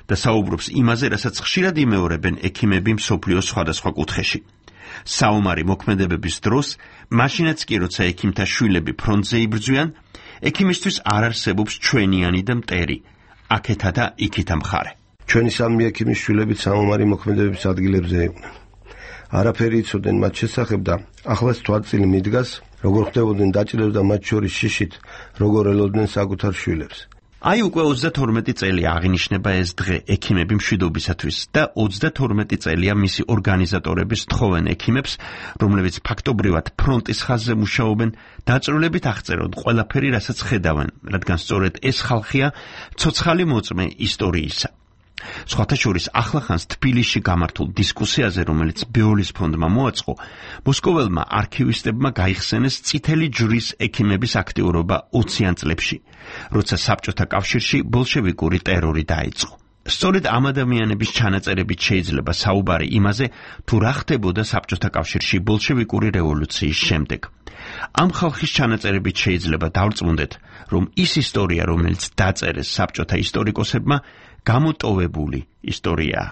და საუბრობს იმაზე, რასაც ხშირად იმეორებენ ექიმები მსოფლიოს სხვადასხვა კუთხეში. საომარი მოქმედებების დროს, მაშინაც კი როცა ექიმთა შვილები ფრონტზე იბრძვიან, ექიმისთვის არ არსებობს ჩვენიანი და მტერი, აქეთა და იქითა მხარე. ჩვენი სამი ექიმის შვილები საომარი მოქმედებების ადგილებზე იყვნენ. არაფერი იცოდნენ მათ შესახებ და ახლაც თვალწილი მიდგას, როგორ ხდებოდნენ დაჭრილები და მათ შორის შიშით, როგორ ელოდნენ საკუთარ შვილებს. აი უკვე 32 წელი აღინიშნება ეს დღე ექიმები მშვიდობისათვის და 32 წელია მისი ორგანიზატორების თხოვენ ექიმებს, რომლებიც ფაქტობრივად ფრონტის ხაზზე მუშაობენ, დაჭრილებით აღწერონ ყველაფერი, რასაც ხედავენ, რადგან სწორედ ეს ხალხია ცოცხალი მოწმე ისტორიისა. სხვათა შორის ახლახანს თბილისში გამართულ დისკუსიაზე, რომელიც ბეოლის ფონდმა მოაწყო, მოსკოველმა არქივისტებმა გაიხსენეს წითელი ჯვრის ექიმების აქტიურობა 20-იან წლებში, როცა საბჭოთა კავშირში ბოლშევიკური ტერორი დაიწყო. სწორედ ამ ადამიანების ჩანაწერებით შეიძლება საუბარი იმაზე, თუ რა ხდებოდა საბჭოთა კავშირში ბოლშევიკური რევოლუციის შემდეგ. ამ ხალხის ჩანაწერებით შეიძლება დავრწმუნდეთ, რომ ის ისტორია, რომელიც დაწერეს საბჭოთა ისტორიკოსებმა, გამოტოვებული ისტორიაა.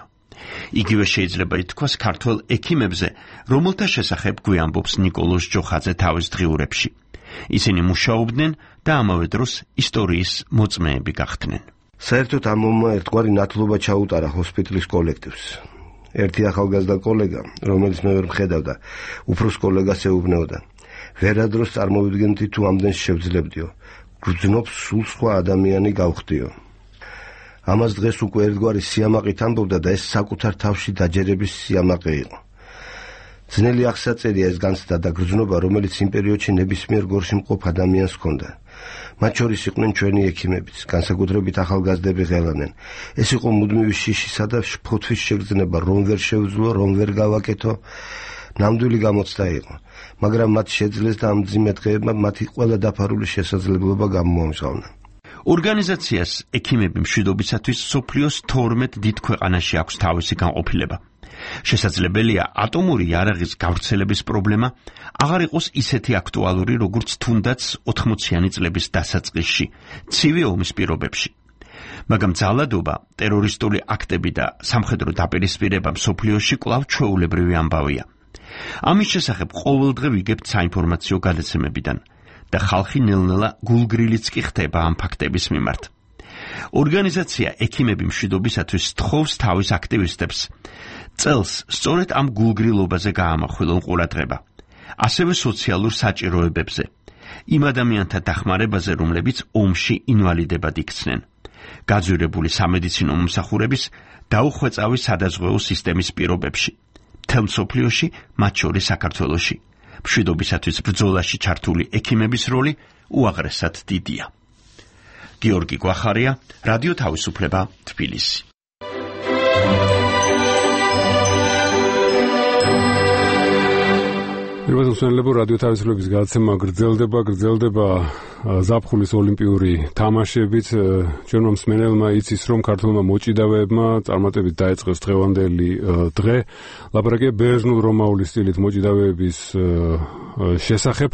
იგივე შეიძლება ითქვას ქართველ ექიმებზე, რომელთა შესახებ გვიამბობს ნიკოლოზ ჯოხაძე თავის დღიურებში. ისინი მუშაობდნენ და ამავე დროს ისტორიის მოწმეები გახდნენ. საერთოდ ამ ომმა ერთგვარი ნათლობა ჩაუტარა ჰოსპიტალის კოლექტივს. ერთი ახალგაზრდა კოლეგა, რომელიც მე ვერ მხედავდა, უფროს კოლეგას ეუბნეოდა. ვერადროს წარმოვიდგენდი თუ ამდენს შევძლებდიო. გრძნობს სულ სხვა ადამიანი გავხდიო. ამას დღეს უკვე ერთგვარი სიამაყით ამბობდა და ეს საკუთარ თავში დაჯერების სიამაყე იყო. ძნელი აღსაწერია ეს განცდა და გრძნობა, რომელიც იმ პერიოდში ნებისმიერ გორში მყოფ ადამიანს ჰქონდა. მათ შორის იყვნენ ჩვენი ექიმებიც, განსაკუთრებით ახალგაზრდები ღელანენ. ეს იყო მუდმივი შიშისა და ფოთვის შეგრძნება, რომ ვერ შევძლო, რომ ვერ გავაკეთო. ნამდვილი გამოცდა იყო, მაგრამ მათ შეძლეს და ამ მძიმე დღეებმა მათი ყველა დაფარული შესაძლებლობა გამოამჟღავნა. ორგანიზაციას ექიმები მშვიდობისათვის სოფლიოს 12 დიდ ქვეყანაში აქვს თავისი განყოფილება. შესაძლებელია ატომური იარაღის გავრცელების პრობლემა აღარ იყოს ისეთი აქტუალური, როგორც თუნდაც 80-იანი წლების დასაწყისში, ცივი ომის პირობებში. მაგრამ ძალადობა, ტერორისტული აქტები და სამხედრო დაპირისპირება მსოფლიოში კვლავ ჩვეულებრივი ამბავია. ამის შესახებ ყოველდღე ვიგებთ საინფორმაციო გადაცემებიდან და ხალხი ნელ-ნელა გულგრილიც კი ხდება ამ ფაქტების მიმართ. ორგანიზაცია ექიმები მშვიდობისათვის თხოვს თავის აქტივისტებს წელს სწორედ ამ გულგრილობაზე გაამახვილონ ყურადღება, ასევე სოციალურ საჭიროებებზე, იმ ადამიანთა დახმარებაზე, რომლებიც ომში ინვალიდებად იქცნენ, გაძვირებული სამედიცინო მომსახურების დაუხვეწავი სადაზღვეო სისტემის პირობებში, მთელ მსოფლიოში, მათ შორის საქართველოში. მშვიდობისათვის ბრძოლაში ჩართული ექიმების როლი უაღრესად დიდია. გიორგი გვახარია, რადიო თავისუფლება, თბილისი. პირველსვენლებო რადიო თავისუფლების გადაცემა გრძელდება ზაფხულის ოლიმპიური თამაშებით. ჩვენმა მსმენელმა იცის, რომ ქართულმა მოჭიდავეებმა წარმატებით დაიწყეს დღევანდელი დღე. ლაპარაკია ბერძნულ-რომაული სტილით მოჭიდავეების შესახებ.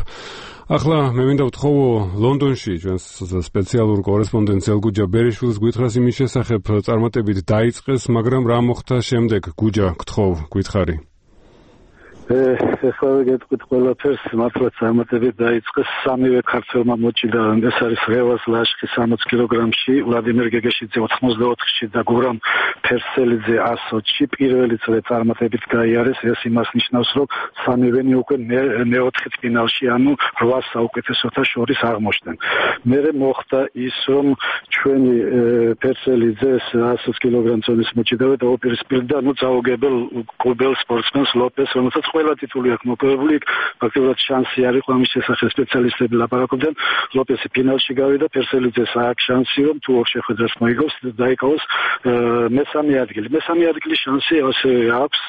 ახლა მე მინდა ვთხოვო ლონდონში ჩვენს სპეციალურ კორესპონდენტს ელგუჯა ბერიშვილს გითხრას იმის შესახებ წარმატებით დაიწყეს, მაგრამ რა მოხდა შემდეგ? გუჯა, გთხოვ, გითხარი. ეხლა გეტყვით ყველაფერს, მართლაც წარმატებით დაიწყეს სამივე ქართველმა მოჭიდავემ. ეს არის რევაზ ლაშხი 60 კილოგრამში, ვლადიმერ გეგეშიძე 84-ში და გურამ ფერსელიძე 120-ში პირველი წრე წარმატებით გაიარეს. ეს იმას ნიშნავს, რომ სამივენი უკვე მეოთხე ფინალში, ანუ 8 საუკეთესოთა შორის აღმოჩნდნენ. მერე მოხდა ის, რომ ჩვენი ფერსელიძე 120 კილოგრამ წონის მოჭიდავე დაუპირისპირდა წაუგებელ კუბელ სპორტსმენს ლოპეს, რომელსაც ყველა ტიტული აქვს მოპოვებული, ფაქტობრივად შანსი არ იყო ამის შესახებ სპეციალისტები ლაპარაკობდნენ. ლოპესი ფინალში გავიდა, ფერსელიძეს აქვს შანსი, რომ თუ ორ შეხვედრას მოიგოს, დაიკავოს მესამე ადგილი. მესამე ადგილის შანსი ასე აქვს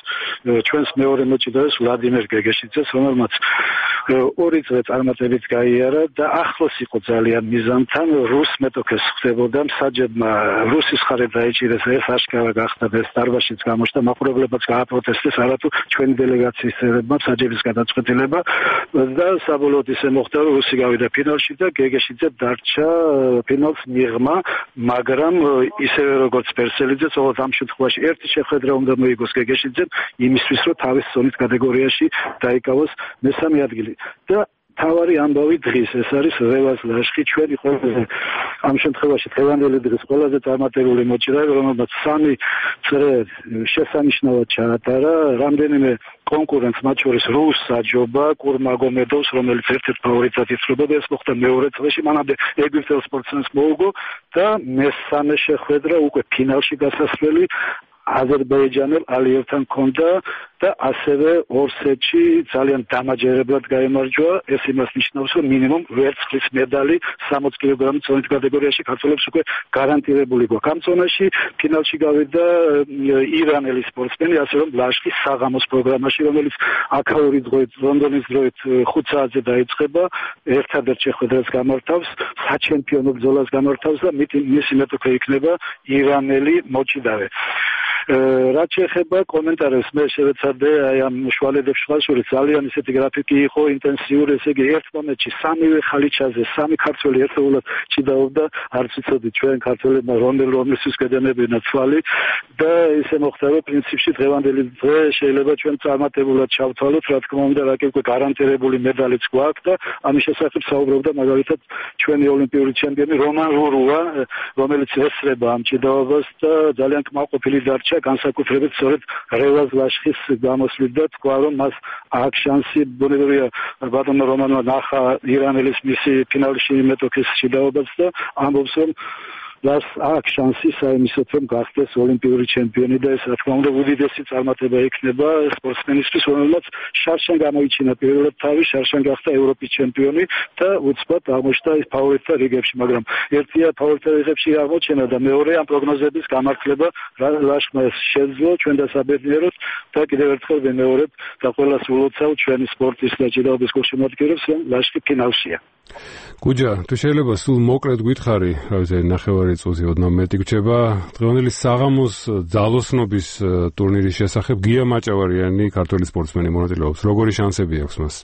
ჩვენს მეორე მოჭიდავეს ვლადიმერ გეგეშიძეს, რომელმაც ორი წრე წარმატებით გაიარა და ახლოს იყო ძალიან მიზანთან. რუს მეტოქეს ხდებოდა, მსაჯებმა რუსის ხარე დაიჭირეს, ეს აშკარა გახდა და ეს დარბაზშიც გამოჩნდა, მაყურებლებაც გააპროტესტეს, არათუ ჩვენი დელეგაციის წევრებმა მსაჯების გადაწყვეტილება და საბოლოოდ ისე მოხდა, რომ რუსი გავიდა ფინალში და გეგეშიძე დარჩა ფინალს მიღმა, მაგრამ ისევე როგორც ფერსელიძე, თუმცა ამ შემთხვევაში ერთი შეხვედრა უნდა მოიგოს გეგეშიძემ იმისთვის, რომ თავის ზონის კატეგორიაში დაიკავოს მესამე ადგილი. და თავარი ამბავი დღის, ეს არის რევაზ ლაშხი, ჩვენი ყველაზე ამ შემთხვევაში დღევანდელი დღის ყველაზე წარმატებული მოჭიდავე, რომელმაც 3 წრე შესანიშნავად ჩაატარა, რამდენიმე კონკურენტს, მათ შორის რუს საჯობა, კურმაგომედოვს, რომელიც ერთ-ერთ ფავორიტად ითვლებოდა, ეს მოხდა მეორე წრეში, მანამდე ეგვიპტელ სპორტსმენს მოუგო და მესამე შეხვედრა უკვე ფინალში გასასვლელი აზერბაიჯანელ ალიევთან ჰქონდა და ასევე ორ სეტში ძალიან დამაჯერებლად გაემარჯვა. ეს იმას ნიშნავს, რომ მინიმუმ ვერცხლის медали 60 კილოგრამის წონის კატეგორიაში ქართველებს უკვე გარანტირებული გვაქვს. ამ წონაში ფინალში გავიდა ირანელი სპორტსმენი, ასე რომ ლაშხი საღამოს პროგრამაში, რომელიც აქაური დროით, ლონდონის დროით 5 საათზე დაიწყება, ერთადერთ შეხვედრას გამართავს, საჩემპიონო ბრძოლას გამართავს და მისი მეტოქე იქნება ირანელი მოჭიდავე. რაც შეეხება კომენტარებს, მე შევეცადე აი ამ შუალედებს შუაშორის ძალიან ისეთი გრაფიკი იყო ინტენსიური, ესე იგი ერთ მომენტში სამივე ხალიჩაზე 3 ქართველი ერთეულად ჭიდაობდა, არც ვიცოდი ჩვენ ქართველებმა რომლისთვის გადანებინა თვალი და ისე მოხდა, რომ პრინციპში დღევანდელი დღე შეიძლება ჩვენ წარმატებულად ჩავთვალოთ, რა თქმა უნდა, რა კი უკვე გარანტირებული медалიც გვაქვს და ამის შესახებ საუბრობდა მაგალითად ჩვენი ოლიმპიური ჩემპიონი რომან რურუა, რომელიც ესწრება ამ ჭიდაობას და ძალიან კმაყოფილი დარჩა განსაკუთრებით სწორედ რევაზ ლაშხის გამოსვლით და თქვა, რომ მას აქვს შანსი, ბუნებრივია ბატონო რომანმა ნახა ირანელის მისი ფინალში მეტოქის ჭიდაობას და ამბობს, რომ მას აქვს შანსი საიმისოდ, რომ გახდეს ოლიმპიური ჩემპიონი და ეს რა თქმა უნდა უდიდესი წარმატება იქნება სპორტსმენისთვის, რომელმაც შარშან გამოიჩინა პირველად თავი, შარშან გახდა ევროპის ჩემპიონი და უცბად აღმოჩნდა ის ფავორიტთა რიგებში, მაგრამ ერთია ფავორიტთა რიგებში აღმოჩენა და მეორე ამ პროგნოზების გამართლება ლაშხმა შეძლო ჩვენ დასაბედნიეროთ და კიდევ ერთხელ ვიმეორებ და ყველას ულოცავ ჩვენი სპორტის და ჭიდაობის გულშემატკივრებს, რომ ლაშხი ფინალშია. გუჯა, თუ შეიძლება სულ მოკლედ გითხარი, რა ვიცი, ნახევარი წუთი ოდნავ მეტი გრჩება, დღევანდელი საღამოს ძალოსნობის ტურნირის შესახებ გია მაჭავარიანი ქართველი სპორტსმენი მონაწილეობს. როგორი შანსები აქვს მას?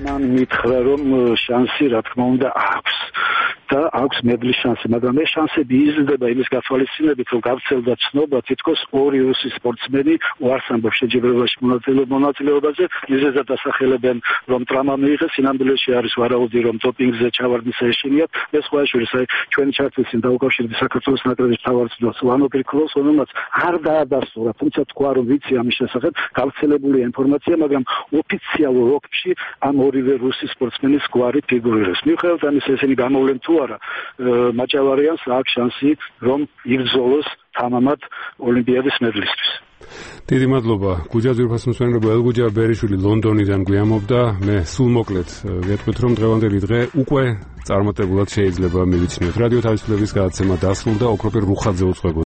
მან მითხრა, რომ შანსი რა თქმა უნდა აქვს. და აქვს მედლის შანსი, მაგრამ ეს შანსები იზრდება იმის გათვალისწინებით, რომ გავრცელდა ცნობა, თითქოს ორი რუსი სპორტსმენი უარს ამბობს შეჯიბრებაში მონაწილეობაზე, მიზეზად ასახელებენ, რომ ტრამა მიიღეს, სინამდვილეში არის ვარაუდი, რომ დოპინგზე ჩავარდნის ეშინიათ. ეს ყველაშორის, ჩვენი ჩართვისին დაუკავშირდი საქართველოს ნაკრების მთავარწვრთნელს ლანო გრიქოლოვს, რომელმაც არ დაადასტურა, თუმცა თქვა, რომ ვიცი ამის შესახებ, გავრცელებულია ინფორმაცია, მაგრამ ოფიციალურ ოფში ამ ორივე რუსი სპორტსმენის გვარი ფიგურირებს. მიუხედავად ამისა, ესენი გამოვლენ თუ არა მაჭავარიანს აქვს შანსი რომ იგრძნოს თამამად ოლიმპიადის მედლისთვის. დიდი მადლობა. გუჯა ძვირფასმსვენებო ელგუჯა ბერიშვილი ლონდონიდან გვიამობდა. მე სულ მოკლედ გეტყვით რომ დღევანდელი დღე უკვე წარმატებულად შეიძლება მივიცნიოთ. რადიო თავისუფლების გადაცემა დასრულდა. ოქროპირ რუხაძე უწყებოდა